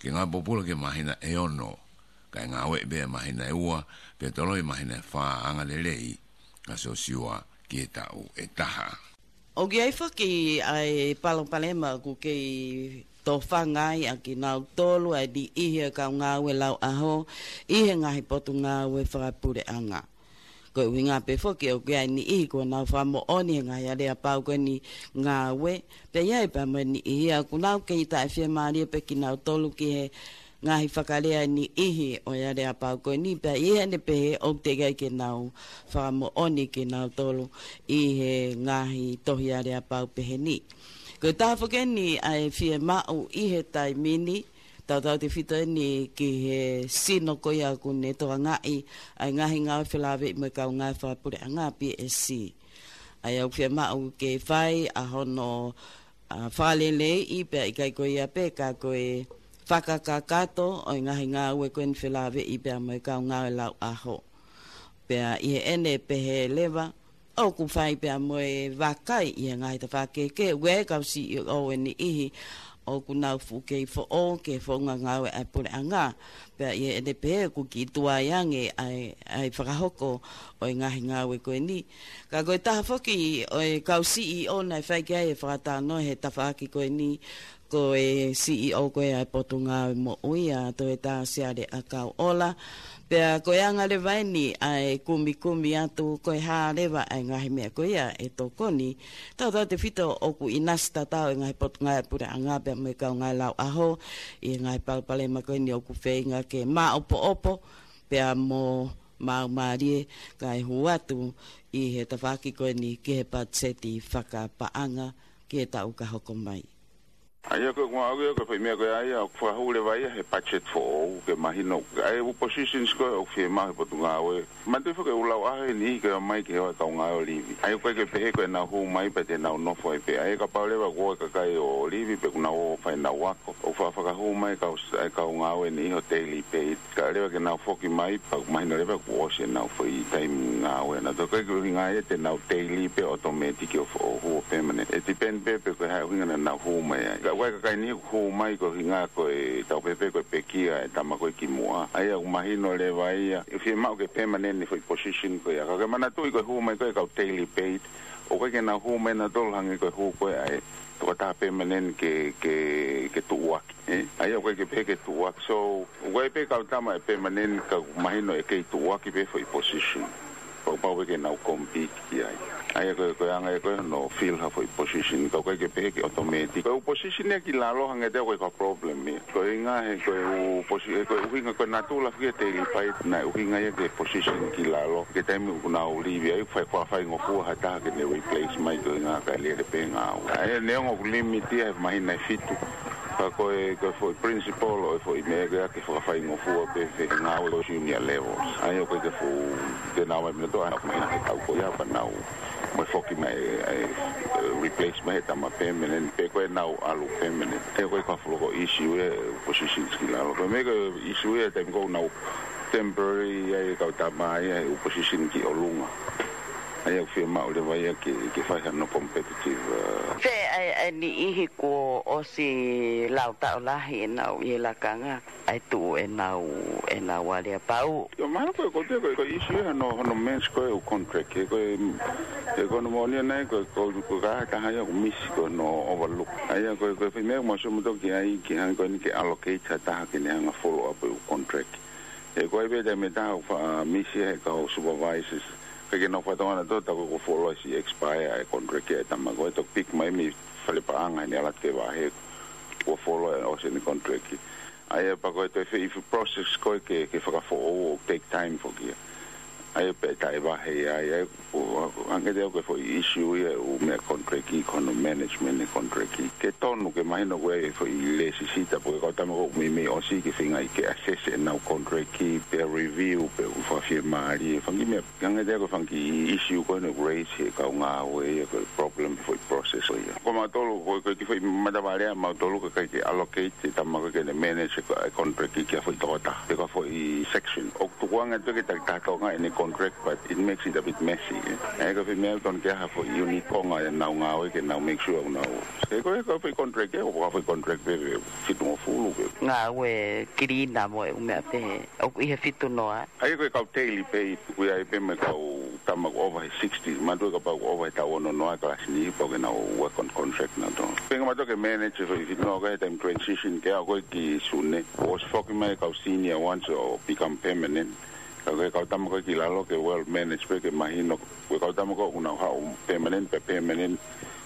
ke ngāue pōpula ki he māhina ʻe ono, kae ngāueʻi pē ʻa e māhina ʻe ua, pea toloi māhina ʻe fā angalelei ʻa Siosiua ki he taʻu ʻe taha. ʻOku ʻi ai foki ʻa e palopalema ʻoku kei tofanga ai ʻa kinautolu ʻa e niʻihi ʻo e kau ngāue lauʻaho ʻi he ngaahi potungāue fakapuleʻanga. Ko e ʻuhinga pē foki ʻoku ʻi ai e niʻihi kuo nau fakamoʻoni he ngaahi aleapau ko eni ngāue, pea ʻi ai pē mo e niʻihi ia ʻoku nau kei taʻefiemālie pē kinautolu ki he ngaahi fakalea ʻa e niʻihi ʻo e aleapau ko eni, pea ʻi heʻene pehē ʻoku teʻeki ai ke nau fakamoʻoni kinautolu ʻi he ngaahi tohi aleapau pehē ni. Ko e taha foki eni ʻa e fiemaʻu ʻi he taimi ni, tautautefito eni ki he sino ko ia ʻoku ne tokangaʻi ʻa e ngaahi ngāue felāveʻi mo e kau ngāue fakapuleʻanga, P S C. ʻA ia ʻoku fiemaʻu ke fai ʻa hono, ʻa, fakaleleiʻi pea ʻikai ko ia pē ka ko e fakakakato ʻo e ngaahi ngāue ko eni felāveʻi pea mo e kau ngāue lauʻaho. Pea ʻi heʻene pehē leva, ʻoku fai pea mo e vakai ʻi he ngaahi tafaʻaki kehekehe, ʻoku ʻi ai e kau C E O ʻe niʻihi ʻoku nau fuʻu kei foʻou ki he founga ngāue ʻa e puleʻanga. Pea ʻi heʻene pehē ʻoku kiʻi tuai ange ʻa e, ʻa e fakahoko ʻo e ngaahi ngāue ko eni. Ka ko e taha foki ʻo e kau C E O naʻe fai ki ai e fakatalanoa he tafaʻaki ko eni, ko e C E O ko ia ʻa e Potungāue Moʻui, ʻa Toeta Siale ʻAkauʻola. Pea ko e anga leva eni ʻa e kumikumi atu ko e hā leva ʻa e ngaahi meʻa ko ia ʻe tokoni, tautautefito ʻoku ʻinasi tatau e ngaahi potungāue puleʻanga pea mo e kau ngāue lauʻaho ʻi he ngaahi palopalema ko eni ʻoku feinga ke māʻopoʻopo pea mo maumālie kae hū atu ʻi he tafaʻaki ko eni ki he patiseti fakapaʻanga ki he taʻu ka hoko mai. ʻA ia ko e ʻuhinga ia ko e foʻi meʻa ko ia ʻoku fakahū leva ia he budget foʻou ke mahino. ʻA e ʻū positions ko ē ʻoku fiemaʻu he potungāue. Manatuʻi foki ʻū lauʻaho ʻe niʻihi ke ō mai ki he ʻoku ʻi ai e kau ngāue ʻo livi. ʻA ia ʻoku ʻikai ke pehē ko ʻenau hū mai pea te nau nofo ai pē. ʻA ia kapau leva kuo ʻi ai e kakai ʻo livi pe kuo nau ō ʻo fai ʻenau ako, ʻoku faʻa fakahū mai kau, ʻa e kau ngāue ʻe niʻihi ʻo daily pay. Kae leva ke nau foki mai, pea ʻoku mahino leva kuo ʻosi ʻenau foʻi taimi ngāue. Naʻe ʻikai ke ʻuhinga ia te nau daily pē automatic ʻo fo-, ʻo hū ʻo permanent. ʻE depend pē pe ko e hā e ʻuhinga naʻa nau hū mai ai. Ka ʻoku ʻi ai e kakai ʻe niʻihi ʻoku hū mai ko e ʻuhinga ko e tau pehē pē ko e pekia e tama ko ē kimuʻa. ʻA ia ʻoku mahino leva ia, ʻe fiemaʻu ke permanent e foʻi position ko ia. Ka ke manatuʻi ko e hū mai ko ē kau daily paid, ʻoku ʻikai ke nau hū mai nautolu hangē ko e hū ko ē ʻa e tokotaha permanent ke, ke, ke tuʻuaki, ē? ʻA ia ʻoku ʻikai ke pehē ke tuʻuaki. So, ʻoku ʻi ai pē kau tama ʻe permanent ka ʻoku mahino ʻe kei tuʻuaki pē foʻi position. Pau, pau pē ke nau compete ki ai. ʻA ia ko e, ko e anga ia ko ē hono fill ha foʻi position. Ka ʻoku ʻikai ke pehē ke automatic. Ko e ʻū position ia ki lalo hangē te ʻoku ʻikai ko ha problem ia. Ko e ʻuhinga he, ko e ʻū posi-, ē, ko e ʻuhinga ko e natula foki e daily paid, naʻe ʻuhinga ia ki he position ki lalo. Ki he taimi ʻoku nau livi ai, fai, fakafaingofua ha taha ke ne replace mai ko e ʻuhinga kae lele pē ngāue. ʻA ia neongo ʻoku limit ia he māhina ʻe fitu. Ka ko e, ko e foʻi principle ʻo e foʻi meʻa ke, ke fakafaingofua pē he ngāue ʻo e junior levels. ʻA ia ʻoku ʻikai ke fuʻu, ke nau mai minoto, ʻa e māhina ʻe tau ko ia pea nau mo e foki mai, ʻe, ʻe, replace mai he tama permanent, pe ko ʻenau ʻalu permanent. ʻA ia ʻoku ʻikai ko ha fuʻu loko issue ia e positions ki lalo. Ko e meʻa ko e issue ia he taimi ko ē ʻoku nau temporary ai e kau tama ia he ʻū position ki ʻolunga. ʻA ia ʻoku fiemaʻu leva ia ke, ke fai hano competitive, uh, Pea ʻa e, ʻe niʻihi kuo ʻosi lau taʻo lahi ʻenau ʻi he lakanga, ʻai tuʻu ʻenau, ʻenau aleapau. ʻIo, mahalo ko e, ko e, ko e, ko e issue ia hono, hono manage ko ē ʻū contract, he ko e, he ko hono moʻoni ʻana ia ko e, ko e, ko e kaha taha ia ʻoku misi ko hono overlook. ʻA ia ko e, ko e foʻi meʻa ʻoku mau sio mautolu ki ai ki hanga ko eni ke allocate ha taha ke ne hanga follow up ʻū contract. He ko e pē taimi ʻe taha ʻoku faʻa misi he kau supervisors, ʻikai ke nau fakatokangaʻi ʻe nautolu tā ko e kuo fuoloa siʻi expire e contract ia e tama ko ē, toki pick mai mei fale paʻanga heʻene ʻalu atu ke vahe kuo fuoloa ʻosi ʻene contract. ʻA ia pea ko e toe foʻi process ko ē ke, ke fakafoʻou ʻoku take time foki ia. ʻA ia pea taʻe vahe ia, ʻa ia ʻoku hangē ʻoku ʻi ai ko e foʻi issue ia ʻū meʻa contract, ko hono management e contract. Ke tonu ke mahino ko e foʻi lēsisita pe ko e kau tama ko ē ʻoku meimei ʻosi ke feingaʻi ke assess ʻenau contract, pea review, pea ʻoku fakafiemālie, fanga kiʻi meʻa. Hangē ko e fanga kiʻi issue ko ē naʻe raise he kau ngāue ia, ko e problem foʻi process ko ia. Ko mautolu, ko e, ko e kiʻi foʻi matavai lea mautolu ka ʻikai ke allocate e tama ko ē ke ne manage e contract ki ha foʻi tokotaha, pe ko ha foʻi section. ʻOku tukuange atu ke taki taha Tonga ʻene contract, but it makes it a bit messy, eh. ʻA ia ko e foʻi meʻa tonu ke ʻi ai ha foʻi unit konga ʻenau ngāue ke nau make sure ʻoku nau. He ko e, ko e foʻi contract ē, ʻoku ʻi ai ha foʻi contract pē, pē fitungofulu pē. Ngāue cleaner mo e ʻū meʻa pehē. ʻOku ʻi he fitu noa. ʻA ia ko e kau daily pay, tuku ia ai pē mo e kau tama ʻoku ova he sixty, manatuʻi kapau ʻoku ova he taʻu ono noa e kalasi ni, pau ke nau work on contract nautolu. Feinga mautolu ke manage e foʻi fitu noa ko ē he taimi transition ke aʻu ko ē ki Sune. ʻOsi foki mai e kau senior ones ʻo become permanent. Ka ko e kau tama ko ē ki lalo ke well manage pē ke mahino, ko e kau tama ko ē ʻoku nau haʻu permanent pē permanent.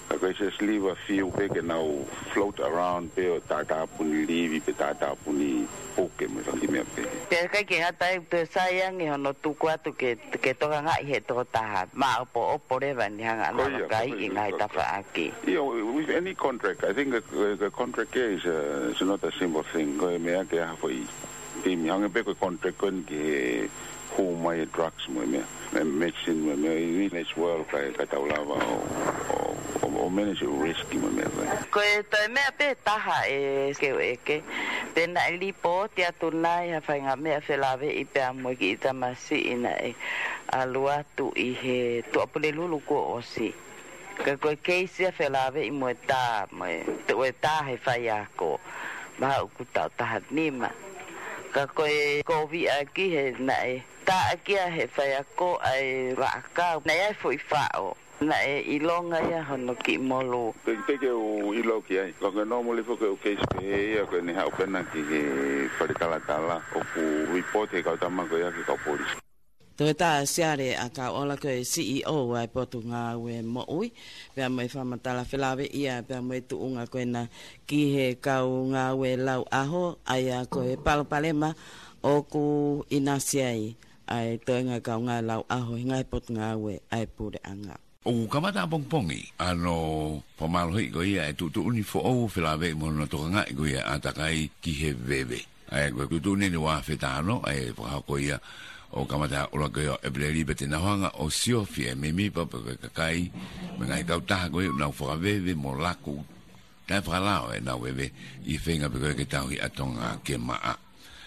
Ka ko e just leave a few pē ke nau float around pē ʻo tātāpuni livi pe tātāpuni puke mo e fanga kiʻi meʻa pehē. Pea ʻikai ke ngata ai, toe sai ange hono tuku atu ke, ke tokangaʻi he tokotaha. Māʻopoʻopo leva ʻene hanga ʻo nau kai ʻi he ngaahi tafaʻaki. ʻIo, with any contract, I think a, a, a contract here is, uh, is not a simple thing. Ko e meʻa ke ʻi ai ha foʻi timi, hangē pē ko e contract ko eni ki he hū mai e drugs mo e meʻa, mo e medicine mo e meʻa, you need as well kae, kae tau lava ʻo, ʻo, ʻo, ʻo manage e risk mo e meʻa ko ē. Ko e toe meʻa pē taha ʻe keu ʻeke, pea naʻe lipooti atu nai ha faʻahinga meʻa felāveʻi pea mo e kiʻi tamasiʻi naʻe ʻalu atu ʻi he Tuʻapulelulu kuo ʻosi. Ka ko e keisi ia felāveʻi mo e tā, mo e, te ue tā he faiako. Mahalo ʻoku taʻu taha nima. Ka ko e kovi ʻaki he naʻe tā ʻaki ia he faiako ʻa e vaʻakau. Naʻe ʻi ai e foʻi faʻo. Naʻe ʻilonga ia hono kiʻi molū. Pe, pe ke u ʻilo ki ai. Ko e normally foki ʻū keisi pehē ia ko ʻene haʻu pē ʻana ki he fale talatala ʻoku report he kau tama ko ia ki he kau polisi. Toe tā Siale ʻAkauʻola ko e C E O ʻa e Potungāue Moʻui, pea mo e fakamatala felāveʻi ia, pea mo e tuʻunga ko ena ki he kau ngāue lau ʻaho, ʻa ia ko e palopalema ʻoku ʻinasi ai ʻa e toenga kau ngāue lau ʻaho ʻi he ngaahi potungāue ʻa e puleʻanga. ʻOku kamata ʻapongipongi hono fakamālohiʻi ko ia e tuʻutuʻuni foʻou felāveʻi mo hono tokangaʻi ko ia ʻa e ʻātakai ki he veve. ʻA ia ko e tuʻutuʻuni eni ua afe taha ono, ʻa e fakahoko ia ʻo kamata ʻuluaki ʻo ʻEpeleli pea te nau hanga ʻo siofi e meimei pau pē ko e kakai mo e ngaahi kautaha ko ia ʻoku nau fakaveve mo laku taʻefakalao ʻenau veve ʻi he feinga pē ko ia ke tauhi ʻa Tonga ke maʻa.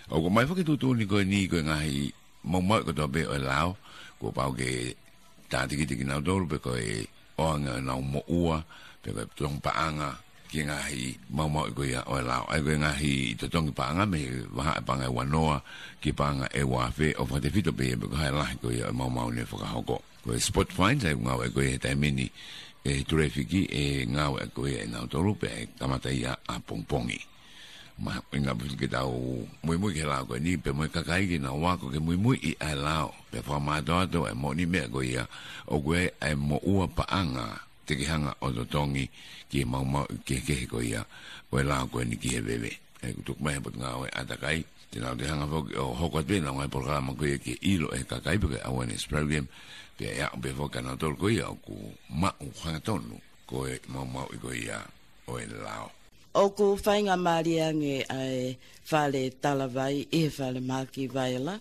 ʻOku ʻomai foki e tuʻutuʻuni ko eni ko e ngaahi maumauʻi kotoa pē ʻo e lao, kuo pau ke tātikite kinautolu pe ko e ʻoange ʻenau moʻua, pe ko e totongi paʻanga ki he ngaahi maumauʻi ko ia ʻo e lao. ʻA ia ko e ngaahi totongi paʻanga mei he vahaʻa e paʻanga ʻe ua noa ki he paʻanga ʻe ua afe ʻo fakatefito pē ia pe ko e hā e lahi ko ia ʻo e maumau ne fakahoko. Ko e spot fines ʻa ia ʻoku ngāueʻaki ko ia he taimi ni ʻe he tulefiki ʻe ngāueʻaki ko ia ʻe nautolu pea ʻe kamata ia ʻapongipongi. Mahuʻinga pē ke tau muimui ki he lao ko eni, pea mo e kakai ke nau ako ke muimui ʻi he lao, pea fakamātoato e moʻoni meʻa ko ia, ʻoku ʻi ai e moʻua paʻanga te ke hanga ʻo totongi ki he maumauʻi kehekehe ko ia ʻo e lao ko eni ki he veve. ʻA ia ʻoku tuku mai he Potungāue ʻAtakai, te nau toe hanga foki ʻo hoko atu pē ʻenau ngaahi polokalama ko ia ke ʻilo ʻe he kakai pe ko e awareness program, pea ʻe aʻu pē foki kia nautolu ko ia ʻoku maʻu hangatonu ko e maumauʻi ko ia ʻo e lao. ʻOku faingamālie ange ʻa e fale talavai ʻi he falemahaki Vaila.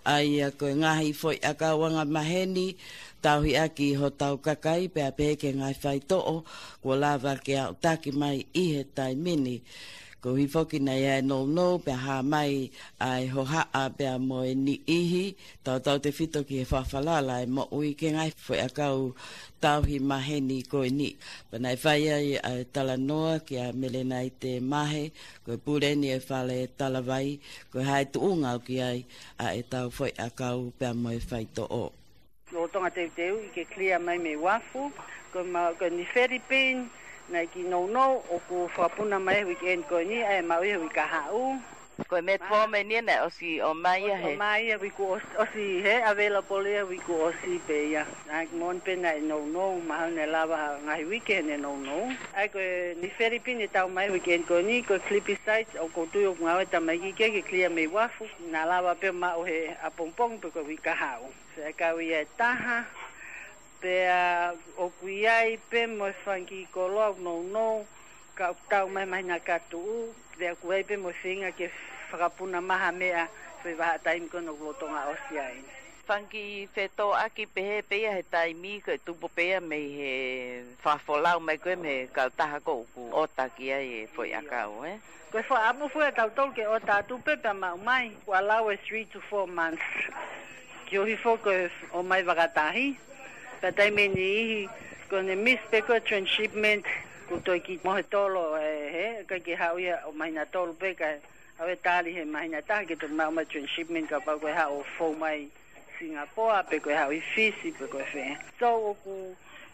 ʻA ia ko e ngaahi foʻi ʻakau angamaheni tauhi ʻaki hotau kakai pea pehē ki he ngaahi faitoʻo kuo lava ke aʻutaki mai ʻi he taimi ni. Koeʻuhi foki naʻe ʻi ai e nounou pea hā mai ʻa e hohaʻa pea mo e niʻihi, tautautefito ki he fakafalala e moʻui ki he ngaahi foʻiʻakau tauhi maheni ko eni. Pea naʻe fai ai ʻa e talanoa kia Melenaite Mahe, ko e pule eni e Fale Talavai, ko e hā e tuʻunga ʻoku ʻi ai ʻa ʻetau foʻiʻakau pea mo e faitoʻo. Lolotonga teuteuʻi ke clear mai mei uafu, ko e ma-, ko e Nifelipini, naʻe kiʻi nounou, ʻoku fakapuna mai he weekend ko eni, ʻa e maʻu ia he uike kahaʻu. Ko e metformin ia naʻe ʻosi ʻomai ia he. ʻOmai ia he uike kuo ʻos-, ʻosi he available ia he uike kuo ʻosi pē ia. Naʻe moʻoni pē naʻe nounou, mahalo naʻe lava ha ngaahi uike heʻene nounou. ʻA ia ko e Nifelipini ʻe tau mai he weekend ko eni, ko e glipizide, ʻoku ou tui ʻoku ngāue e tamaiki ke, ke clear mei uafu, naʻa lava pē maʻu he ʻapongipongi pe ko e uike kahaʻu. Feʻauhi ia ʻe taha, pea ʻoku ʻi ai pē mo e fanga kiʻi koloa ʻoku nounou, ka ʻoku tau mai he māhina ka tuʻu, pea ʻoku ʻi ai pē mo e feinga ke fakapuna mai ha meʻa, foʻi vahaʻa taimi ko ena ʻoku lolotonga ʻosi ai. Fanga kiʻi fetōʻaki pehē pē ia he taimi ko ē tupu pē ia mei he fakafolau mai ko ē mei he kautaha ko ē ʻoku ʻota ki ai e foʻiʻakau, ē? Ko e fakaʻamu foʻi ʻa tautolu ke ʻota atu pē pea maʻu mai, ʻoku allow e three to four months. Koeʻuhi foki ko e ʻomai vakatahi. Pea taimi ʻe niʻihi, ko ʻene miss pē ko e transshipment, kuo toe kiʻi mohetolo, ē, he, ʻikai ke haʻu ia ʻo māhina tolu pē, kae haʻu e tali he māhina ʻe taha ke toe maʻu mai transshipment kapau ko e haʻu ʻo fou mai Singapore, pe ko e haʻu ʻi Fisi, pe ko e fē. So, ʻoku,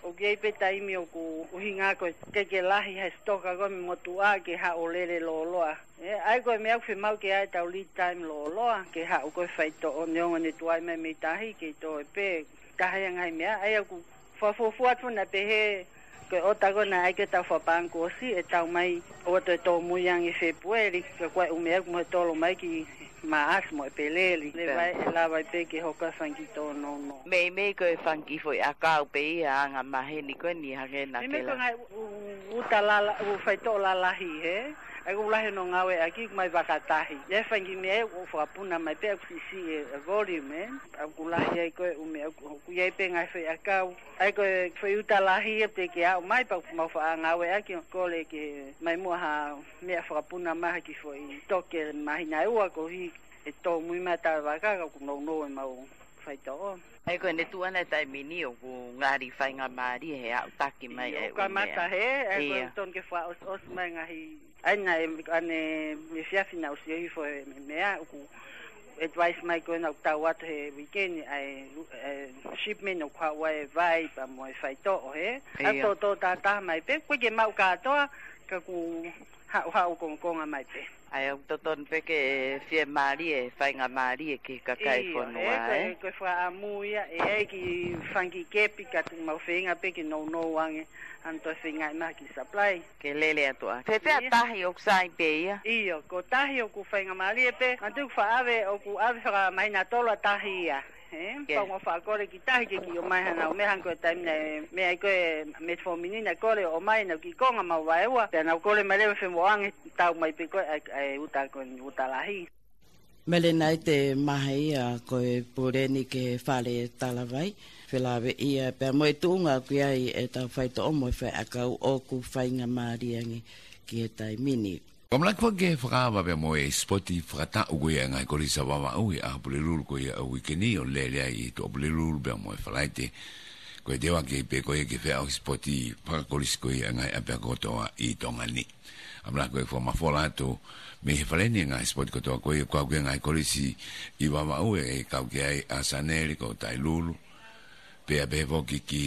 ʻoku ʻi ai pē taimi ʻoku ʻuhinga ko e ʻikai ke lahi he stock ko ē mei he motuʻa ke haʻu ʻo lele lōloa. Ē, ʻa ia ko e meʻa ʻoku fiemaʻu ke ʻi ai ʻetau lead time lōloa, ke haʻu ko ē faitoʻo neongo ʻene tuai mai mei tahi, ke toe pē, taha ia e ngaahi meʻa, ʻa ia ʻoku fakafuofua atu naʻe pehē, ko e ʻota ko ena ʻa ia ke tau fakapaʻanga kuo ʻosi, ʻe tau mai, ʻoua toe tōmui ange Fēpueli, ka ko e ʻū meʻa ʻoku mohetolo mai ki Maʻasi mo ʻEpeleli, leva ʻe lava ai pē ke hoko e fanga kiʻi tōnounou. Meimei ko e fanga kiʻi foʻiʻakau pē ia anga maheni ko eni hangē naʻa ke lave. Meimei ko e ngaahi ʻū, ʻū, ʻū uta lala-, ʻū faitoʻo lalahi he, ʻa ia ʻoku lahi hono ngāueʻaki ʻoku mai vakatahi. ʻI ai e fanga kiʻi meʻa ʻoku fakapuna mai pē ʻoku siʻisiʻi e, e volume, ē. ʻOku lahi ai ko e ʻū meʻa ʻoku, ʻoku ʻi ai pē ngaahi foʻiʻakau. ʻA ia ko e foʻi uta lahi ia te ke aʻu mai pea ʻoku mau faʻa ngāueʻaki ʻo kole ke mai muʻa ha meʻa fakapuna mai ha kiʻi foʻi stock māhina ʻe ua koeʻuhi ʻe tōmui mai ʻa e vaka ka ʻoku nounou ʻemau faitoʻo. ʻA ia ko ʻene tuʻu ʻana he taimi ni ʻoku ngali faingamālie he aʻutaki mai ʻa e ʻū meʻa. ʻIo, kamata he, ʻa ia ko e tonu ke fakaʻosiʻosi mai ngaahi, ʻa ia naʻe, ʻanenai efiafi naʻe ʻosi hifo e meʻa, ʻoku advice mai ko ena ʻoku tau atu he weekend, ʻa e, ʻa e shipment ʻoku haʻu ai e vai pea mo e faitoʻo he. ʻA ia. Tōtō tātā mai pē, ʻoku ʻikai ke maʻu kātoa, ka ʻoku haʻuhaʻu kongokonga mai pē. ʻA ia, ʻoku totonu pē ke fiemālie, faingamālie ki he kakai fonua, ē? ʻIo, he ko e, ko e fakaʻamu ia, ʻe ʻi ai e kiʻi fanga kiʻi kepi ka te mau feinga pē ke nounou ange, ʻa ena toe feingaʻi mai ha kiʻi supply. Ke lele atu ā. Fēfē ʻa tahi ʻoku sai pē ia? ʻIo, ko tahi ʻoku faingamālie pē, manatuʻi ʻoku faʻa ʻave, ʻoku ʻave fakamāhina tolu ʻa tahi ia. Ē, pea ʻoku mau faʻa kole ki tahi ke kiʻi ʻomai hanau meʻa hangē ko e taimi naʻe, meʻa ai ko e metformin naʻe kole ʻo ʻomai naʻa ku kiʻi konga mau vaeua. Pea naʻa ku kole mai leva femoʻuʻanga tau mai pē ko e, ʻa e, ʻa e uta ko eni uta lahi. Melenaite Mahe ia ko e pule eni ki he Fale Talavai. Felāveʻi ia pea mo e tuʻunga ʻoku ʻi ai ʻetau faitoʻo mo e foʻiʻakau ʻoku faingamālie ange ki he taimi ni. Ko e ʻamanaki foki ke fakaava pea mo e sipoti fakataʻu ko ia ʻa e ngaahi kolisi ʻa Vavaʻu ʻi he ʻaho Pulelulu ko ia ʻo e uike ni ʻo lele ai ʻi he Tuʻapulelulu pea mo e Falaite. Ko e teuaki pē ko ia ke feʻauhi sipoti fakakolisi ko ia ʻa e ngaahi ʻapiako kotoa ʻi Tonga ni. ʻAmanaki ko e fakamafola atu mei he fale ni e ngaahi sipoti kotoa ko ia, kau ki he ngaahi kolisi ʻi Vavaʻu ʻe kau ki ai ʻa Sanele ko Tailulu. Pea pehē foki ki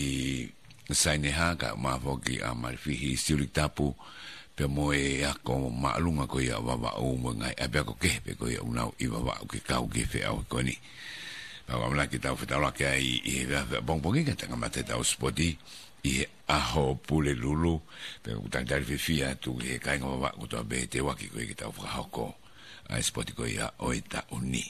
Saineha, kae ʻumaʻā foki ʻa Malifihi Siuliki Tapu, pea mo e ako māʻolunga ko ia ʻo Vavaʻu mo e ngaahi ʻapiako kehe pē ko ia ʻoku nau ʻi Vavaʻu ke kau ki he feʻauhi ko eni. Pea ʻoku ʻamanaki ke tau fetaulaki ai ʻi he efiafi ʻapongipongi ka te kamata ʻetau sipoti ʻi he ʻaho Pulelulu, pea ʻoku talitali fiefia atu ki he kāinga Vavaʻu kotoa pē he teuaki ko ia ke tau fakahoko ʻa e sipoti ko ia ʻo e taʻu ni.